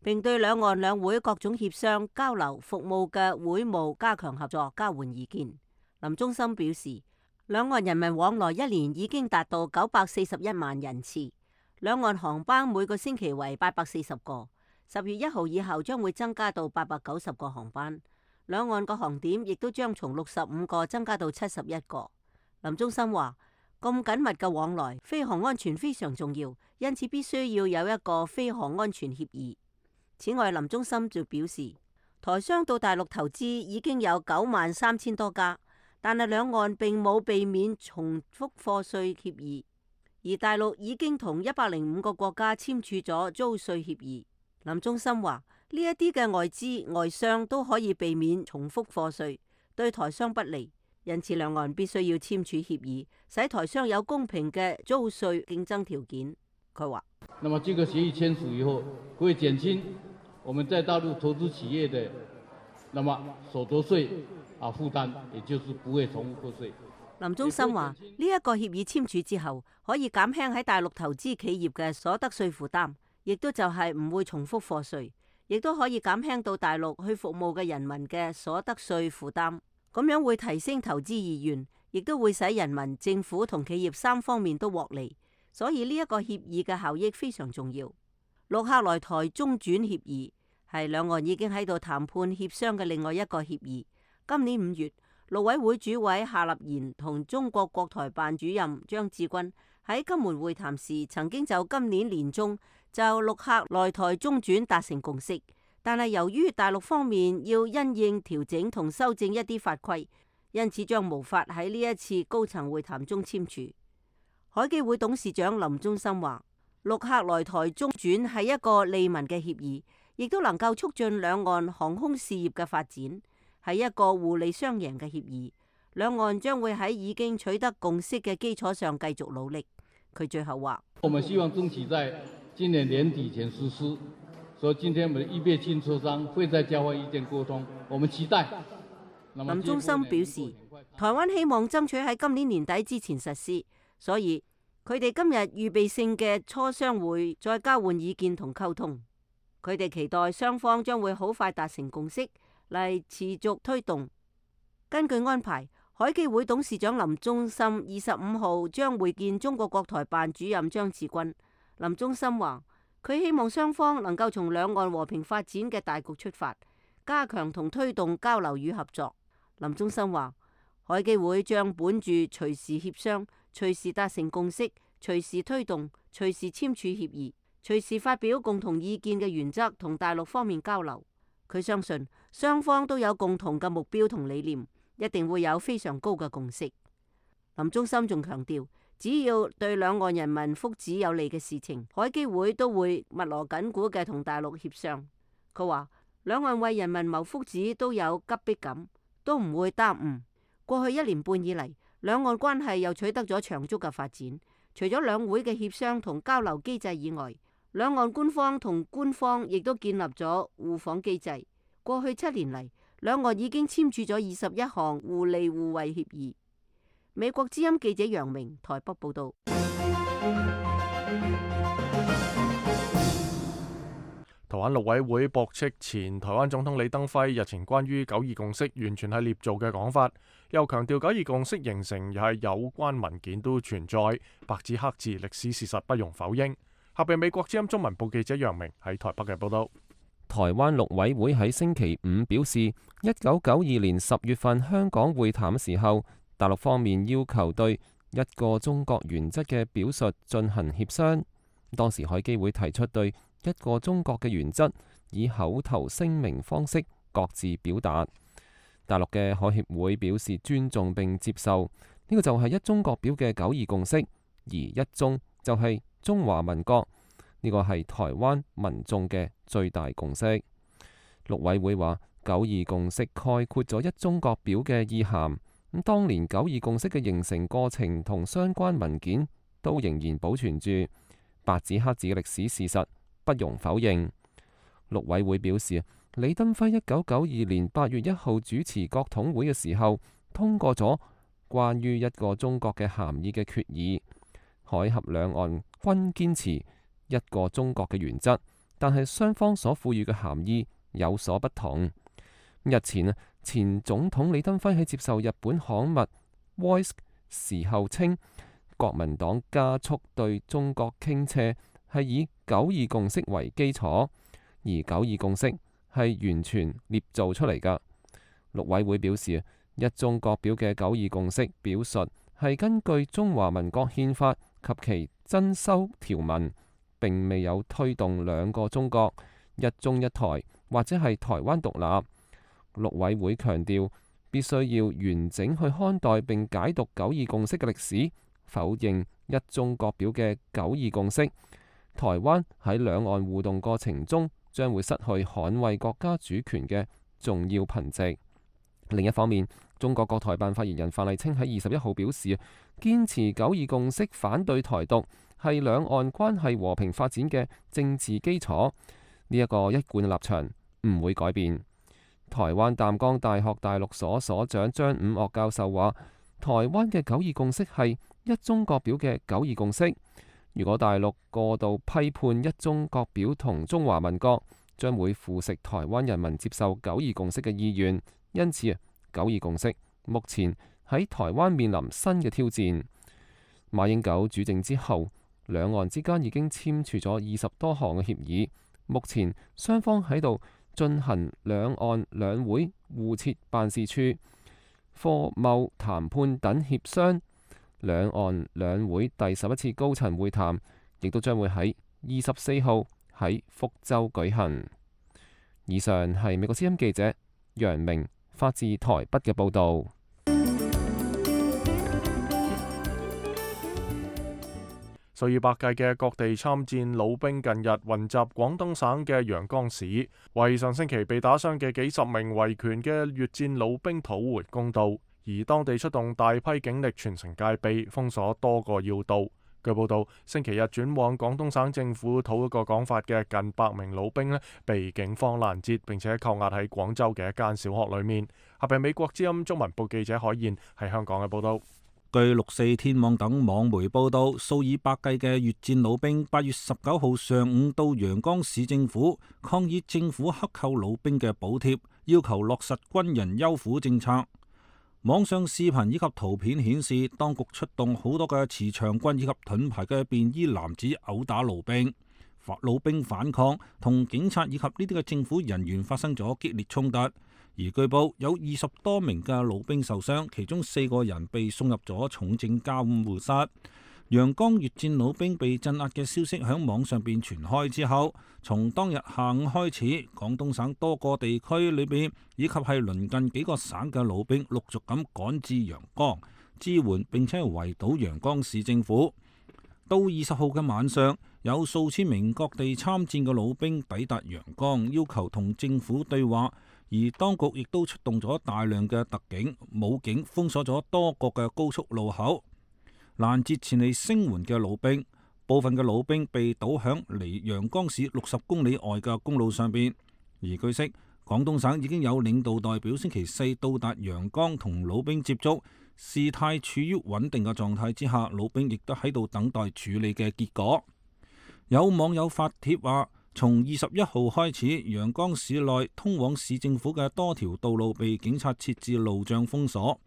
並對兩岸兩會各種協商、交流、服務嘅會務加強合作，交換意見。林忠森表示，兩岸人民往來一年已經達到九百四十一萬人次，兩岸航班每個星期為八百四十個，十月一號以後將會增加到八百九十個航班，兩岸個航點亦都將從六十五個增加到七十一個。林忠森話，咁緊密嘅往來，飛航安全非常重要，因此必須要有一個飛航安全協議。此外，林忠森就表示，台商到大陸投資已經有九萬三千多家，但係兩岸並冇避免重複課稅協議，而而大陸已經同一百零五個國家簽署咗租稅協議。林忠森話：呢一啲嘅外資外商都可以避免重複課稅，對台商不利，因此兩岸必須要簽署協議，使台商有公平嘅租稅競爭條件。佢話：那麼這個協議簽署以後，會減輕我們在大陸投資企業的那麼所得稅啊負擔，也就是不會重複課稅。林忠森話：呢一個協議簽署之後，可以減輕喺大陸投資企業嘅所得稅負擔，亦都就係唔會重複課稅，亦都可以減輕到大陸去服務嘅人民嘅所得稅負擔。咁樣會提升投資意願，亦都會使人民、政府同企業三方面都獲利。所以呢一個協議嘅效益非常重要。陸客來台中轉協議係兩岸已經喺度談判協商嘅另外一個協議。今年五月，陸委會主委夏立言同中國國台辦主任張志軍喺金門會談時，曾經就今年年中就陸客來台中轉達成共識，但係由於大陸方面要因應調整同修正一啲法規，因此將無法喺呢一次高層會談中簽署。海基會董事長林忠森話：陸客來台中轉係一個利民嘅協議，亦都能夠促進兩岸航空事業嘅發展，係一個互利雙贏嘅協議。兩岸將會喺已經取得共識嘅基礎上繼續努力。佢最後話：我們希望爭取在今年年底前實施，所以今天我們預備進磋商，會再交換意見溝通。我們期待。林忠森表示，台灣希望爭取喺今年年底之前實施。所以佢哋今日預備性嘅磋商會再交換意見同溝通，佢哋期待雙方將會好快達成共識嚟持續推動。根據安排，海基會董事長林忠森二十五號將會見中國國台辦主任張志軍。林忠森話：佢希望雙方能夠從兩岸和平發展嘅大局出發，加強同推動交流與合作。林忠森話：海基會將本住隨時協商、隨時達成共識、隨時推動、隨時簽署協議、隨時發表共同意見嘅原則同大陸方面交流。佢相信雙方都有共同嘅目標同理念，一定會有非常高嘅共識。林忠森仲強調，只要對兩岸人民福祉有利嘅事情，海基會都會密鑼緊鼓嘅同大陸協商。佢話兩岸為人民謀福祉都有急迫感，都唔會耽誤。過去一年半以嚟，兩岸關係又取得咗長足嘅發展。除咗兩會嘅協商同交流機制以外，兩岸官方同官方亦都建立咗互訪機制。過去七年嚟，兩岸已經簽署咗二十一項互利互惠協議。美國之音記者楊明台北報道。台灣陸委會駁斥前台灣總統李登輝日前關於九二共識完全係捏造嘅講法，又強調九二共識形成又係有關文件都存在，白紙黑字歷史事實不容否認。下邊美國之音中文部記者楊明喺台北嘅報道。台灣陸委會喺星期五表示，一九九二年十月份香港會談嘅時候，大陸方面要求對一個中國原則嘅表述進行協商。當時海基會提出對一個中國嘅原則以口頭聲明方式各自表達。大陸嘅海協會表示尊重並接受，呢個就係一中各表嘅九二共識，而一中就係中華民國，呢個係台灣民眾嘅最大共識。陸委會話九二共識概括咗一中各表嘅意涵。咁當年九二共識嘅形成過程同相關文件都仍然保存住，白紙黑字嘅歷史事實不容否認。陸委會表示，李登輝一九九二年八月一號主持國統會嘅時候，通過咗關於一個中國嘅涵義嘅決議，海峽兩岸均堅持一個中國嘅原則，但係雙方所賦予嘅涵義有所不同。日前啊，前總統李登輝喺接受日本刊物《Voice》時候稱，國民黨加速對中國傾斜係以九二共識為基礎，而九二共識係完全捏造出嚟㗎。陸委會表示，一中各表嘅九二共識表述係根據中華民國憲法及其增修條文，並未有推動兩個中國、一中一台或者係台灣獨立。陸委會強調，必須要完整去看待並解讀九二共識嘅歷史，否認一中各表嘅九二共識，台灣喺兩岸互動過程中將會失去捍衛國家主權嘅重要憑藉。另一方面，中國國台辦發言人范麗清喺二十一號表示，堅持九二共識，反對台獨，係兩岸關係和平發展嘅政治基礎。呢一個一貫立場唔會改變。台灣淡江大學大陸所所長張五岳教授話，台灣嘅九二共識係一中各表嘅九二共識。如果大陸過度批判一中各表同中華民國，將會腐蝕台灣人民接受九二共識嘅意願。因此，九二共識目前喺台灣面臨新嘅挑戰。馬英九主政之後，兩岸之間已經簽署咗二十多項嘅協議，目前雙方喺度進行兩岸兩會互設辦事處、貨貿談判等協商。兩岸兩會第十一次高層會談亦都將會喺二十四號喺福州舉行。以上係美國之音記者楊明發自台北嘅報導。數以百計嘅各地參戰老兵近日雲集廣東省嘅陽江市，為上星期被打傷嘅幾十名維權嘅越戰老兵討回公道，而當地出動大批警力全城戒備，封鎖多個要道。據報道，星期日轉往廣東省政府討一個講法嘅近百名老兵呢，被警方攔截，並且扣押喺廣州嘅一間小學裏面。下邊美國之音中文部記者海燕喺香港嘅報道。據六四天網等網媒報道，數以百計嘅越戰老兵八月十九號上午到陽江市政府抗議政府克扣老兵嘅補貼，要求落實軍人優撫政策。網上視頻以及圖片顯示，當局出動好多嘅持長棍以及盾牌嘅便衣男子毆打老兵，老兵反抗，同警察以及呢啲嘅政府人員發生咗激烈衝突。而據報有二十多名嘅老兵受傷，其中四個人被送入咗重症監護室。陽江越戰老兵被鎮壓嘅消息響網上邊傳開之後，從當日下午開始，廣東省多個地區裏邊以及係鄰近幾個省嘅老兵陸續咁趕至陽江支援，並且圍堵陽江市政府。到二十號嘅晚上，有數千名各地參戰嘅老兵抵達陽江，要求同政府對話。而當局亦都出動咗大量嘅特警、武警，封鎖咗多個嘅高速路口，攔截前嚟聲援嘅老兵。部分嘅老兵被堵響離陽江市六十公里外嘅公路上邊。而據悉，廣東省已經有領導代表星期四到達陽江同老兵接觸，事態處於穩定嘅狀態之下，老兵亦都喺度等待處理嘅結果。有網友發帖話，從二十一號開始，陽江市內通往市政府嘅多條道路被警察設置路障封鎖。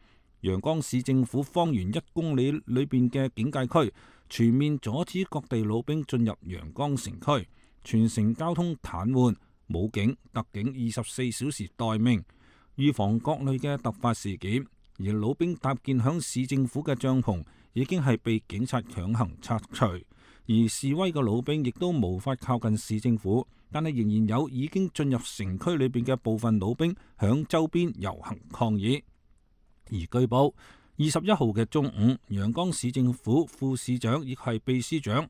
陽江市政府方圓一公里裏邊嘅警戒區全面阻止各地老兵進入陽江城區，全城交通癱瘓，武警、特警二十四小時待命，預防各類嘅突發事件。而老兵搭建響市政府嘅帳篷已經係被警察強行拆除。而示威嘅老兵亦都無法靠近市政府，但係仍然有已經進入城區裏邊嘅部分老兵響周邊遊行抗議。而據報，二十一號嘅中午，陽江市政府副市長以及係秘書長、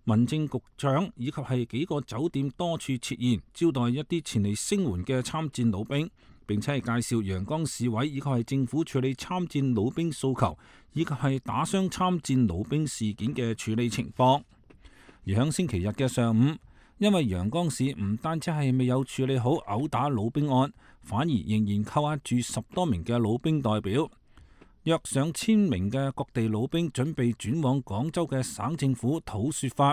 民政局長以及係幾個酒店多處設宴，招待一啲前嚟聲援嘅參戰老兵，並且係介紹陽江市委以及係政府處理參戰老兵訴求，以及係打傷參戰老兵事件嘅處理情況。而響星期日嘅上午，因為陽江市唔單止係未有處理好毆打老兵案，反而仍然扣押住十多名嘅老兵代表，約上千名嘅各地老兵準備轉往廣州嘅省政府討說法，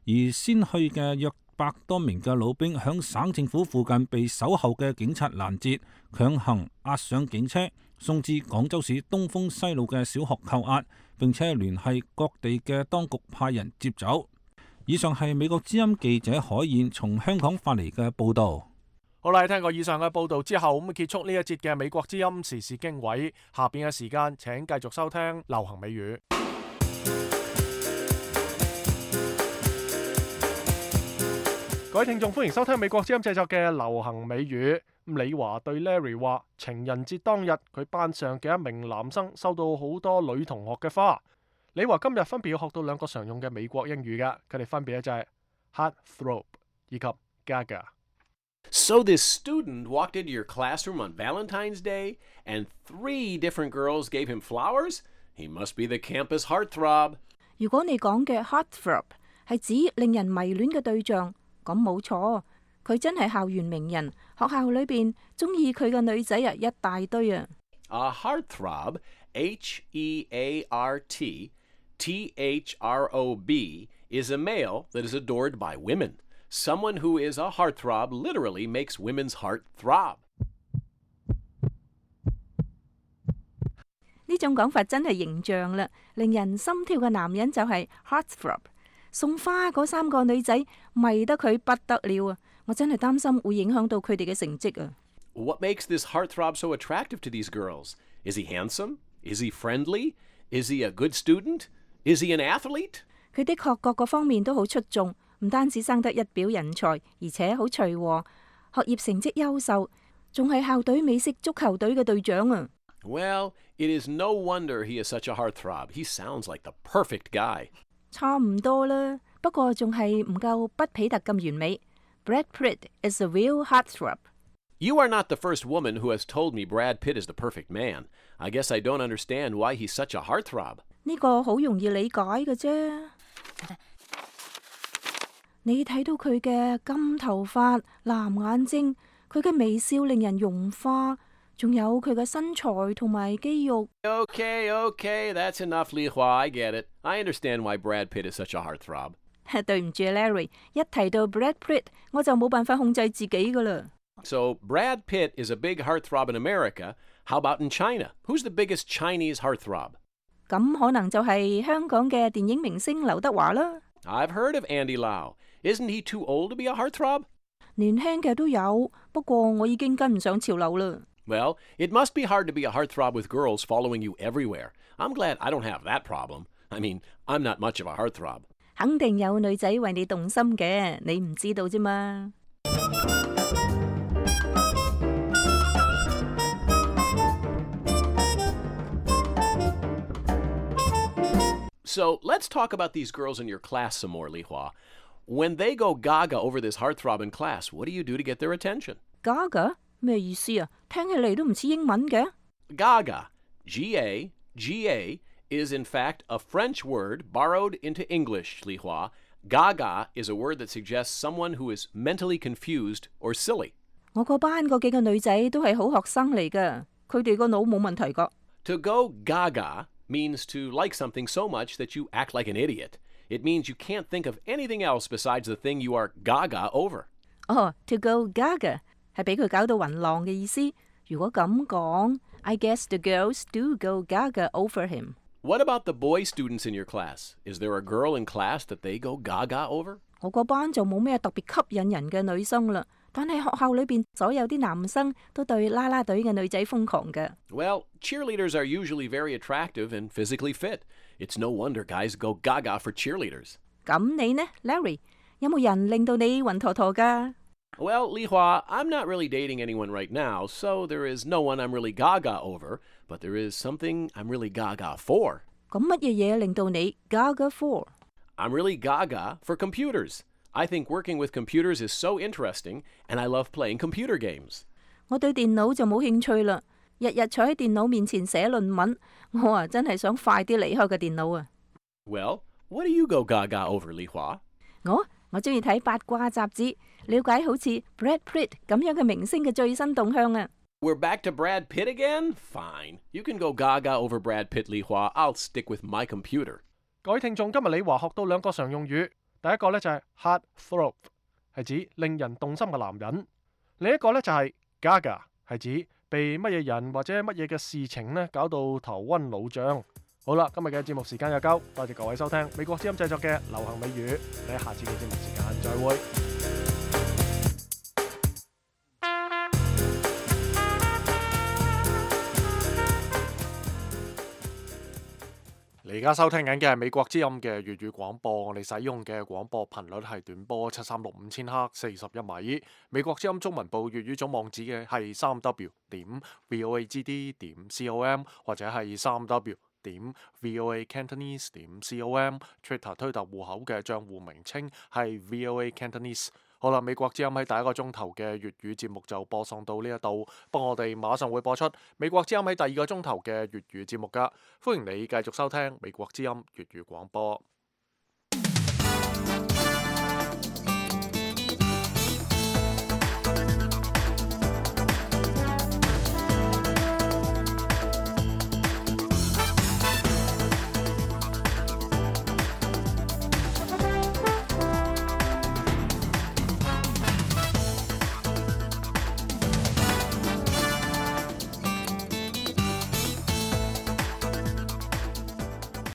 而先去嘅約百多名嘅老兵響省政府附近被守候嘅警察攔截，強行押上警車，送至廣州市東風西路嘅小學扣押，並且聯繫各地嘅當局派人接走。以上係美國之音記者海燕從香港發嚟嘅報道。好啦，聽過以上嘅報道之後，咁結束呢一節嘅美國之音時事經緯。下邊嘅時間，請繼續收聽流行美語。各位聽眾，歡迎收聽美國之音製作嘅流行美語。李華對 Larry 話，情人節當日佢班上嘅一名男生收到好多女同學嘅花。李華今日分別要學到兩個常用嘅美國英語㗎，佢哋分別咧就係 heartthrob 以及 gaga。So this student walked into your classroom on Valentine's Day, and three different girls gave him flowers? He must be the campus heartthrob. 如果你講嘅 heartthrob 係指令人迷戀嘅對象，咁冇錯，佢真係校園名人，學校裏邊中意佢嘅女仔啊一大堆啊。A heartthrob, H E A R T T H R O B, is a male that is adored by women. Someone who is a heartthrob literally makes women's heart throb. 呢種講法真係形象啦，令人心跳嘅男人就係 heartthrob。送花嗰三個女仔迷得佢不得了啊！我真係擔心會影響到佢哋嘅成績啊。What makes this heartthrob so attractive to these girls? Is he handsome? Is he friendly? Is he a good student? Is he an athlete? 佢的確各個方面都好出眾，唔單止生得一表人才，而且好隨和，學業成績優秀，仲係校隊美式足球隊嘅隊長啊。Well, it is no wonder he is such a heartthrob. He sounds like the perfect guy. 差唔多啦，不過仲係唔夠畢彼特咁完美。Brad Pitt is a real heartthrob. You are not the first woman who has told me Brad Pitt is the perfect man. I guess I don't understand why he's such a heartthrob. 呢個好容易理解嘅啫。你睇到佢嘅金頭髮、藍眼睛，佢嘅微笑令人融化，仲有佢嘅身材同埋肌肉。Okay, okay, that's enough, Li Hua. I get it. I understand why Brad Pitt is such a heartthrob. 對唔住 Larry， 一提到 Brad Pitt， 我就冇辦法控制自己噶啦。So Brad Pitt is a big heartthrob in America. How about in China? Who's the biggest Chinese heartthrob? 咁可能就係香港嘅電影明星劉德華啦。I've heard of Andy Lau. Isn't he too old to be a heartthrob? 年輕嘅都有，不過我已經跟唔上潮流啦。Well, it must be hard to be a heartthrob with girls following you everywhere. I'm glad I don't have that problem. I mean, I'm not much of a heartthrob. 肯定有女仔為你動心嘅，你唔知道啫嘛。So let's talk about these girls in your class some more, Li Hua. When they go gaga over this heartthrob in class, what do you do to get their attention? Gaga? 咩意思啊？聽起嚟都唔似英文嘅。Gaga, G A G A, is in fact a French word borrowed into English, Li Hua. Gaga is a word that suggests someone who is mentally confused or silly. 我個班嗰幾個女仔都係好學生嚟㗎，佢哋個腦冇問題㗎。To go gaga means to like something so much that you act like an idiot. It means you can't think of anything else besides the thing you are gaga over. 哦 to go gaga 係俾佢搞到暈浪嘅意思。如果咁講 I guess the girls do go gaga over him. What about the boy students in your class? Is there a girl in class that they go gaga over? 我個班就冇咩特別吸引人嘅女生啦，但係學校裏邊所有啲男生都對啦啦隊嘅女仔瘋狂嘅。Well, cheerleaders are usually very attractive and physically fit. It's no wonder guys go gaga for cheerleaders. 咁你呢 Larry 有冇人令到你暈陀陀㗎？ Well, Li Hua, I'm not really dating anyone right now, so there is no one I'm really gaga over, but there is something I'm really gaga for. 咁乜嘢嘢令到你 gaga for? I'm really gaga for computers. I think working with computers is so interesting, and I love playing computer games. 我對電腦就冇興趣啦，日日坐喺電腦面前寫論文，我啊真係想快啲離開個電腦啊。Well, what do you go gaga over, Li Hua? 我我中意睇八卦雜誌，了解好似 Brad Pitt 咁樣嘅明星嘅最新動向啊。We're back to Brad Pitt again? Fine. You can go gaga over Brad Pitt, Li Hua. I'll stick with my computer. 各位聽眾，今日李華學到兩個常用語，第一個咧就係 heartthrob， 係指令人動心嘅男人；另一個咧就係 gaga， 係指被乜嘢人或者乜嘢嘅事情咧搞到頭暈腦脹。好啦，今日嘅節目時間又夠，多謝各位收聽美國之音製作嘅流行美語，你喺下次嘅節目時間再會。你而家收聽緊嘅係美國之音嘅粵語廣播，我哋使用嘅廣播頻率係短波七三六五千赫四十一米。美國之音中文部粵語總網址嘅係三 w 點 v o a g d 點 com 或者係三 w 點 v o a cantonese 點 com，Twitter 推特戶口嘅賬戶名稱係 v o a cantonese。好啦，美國之音喺第一個鐘頭嘅粵語節目就播送到呢一度，不過我哋馬上會播出美國之音喺第二個鐘頭嘅粵語節目噶，歡迎你繼續收聽美國之音粵語廣播。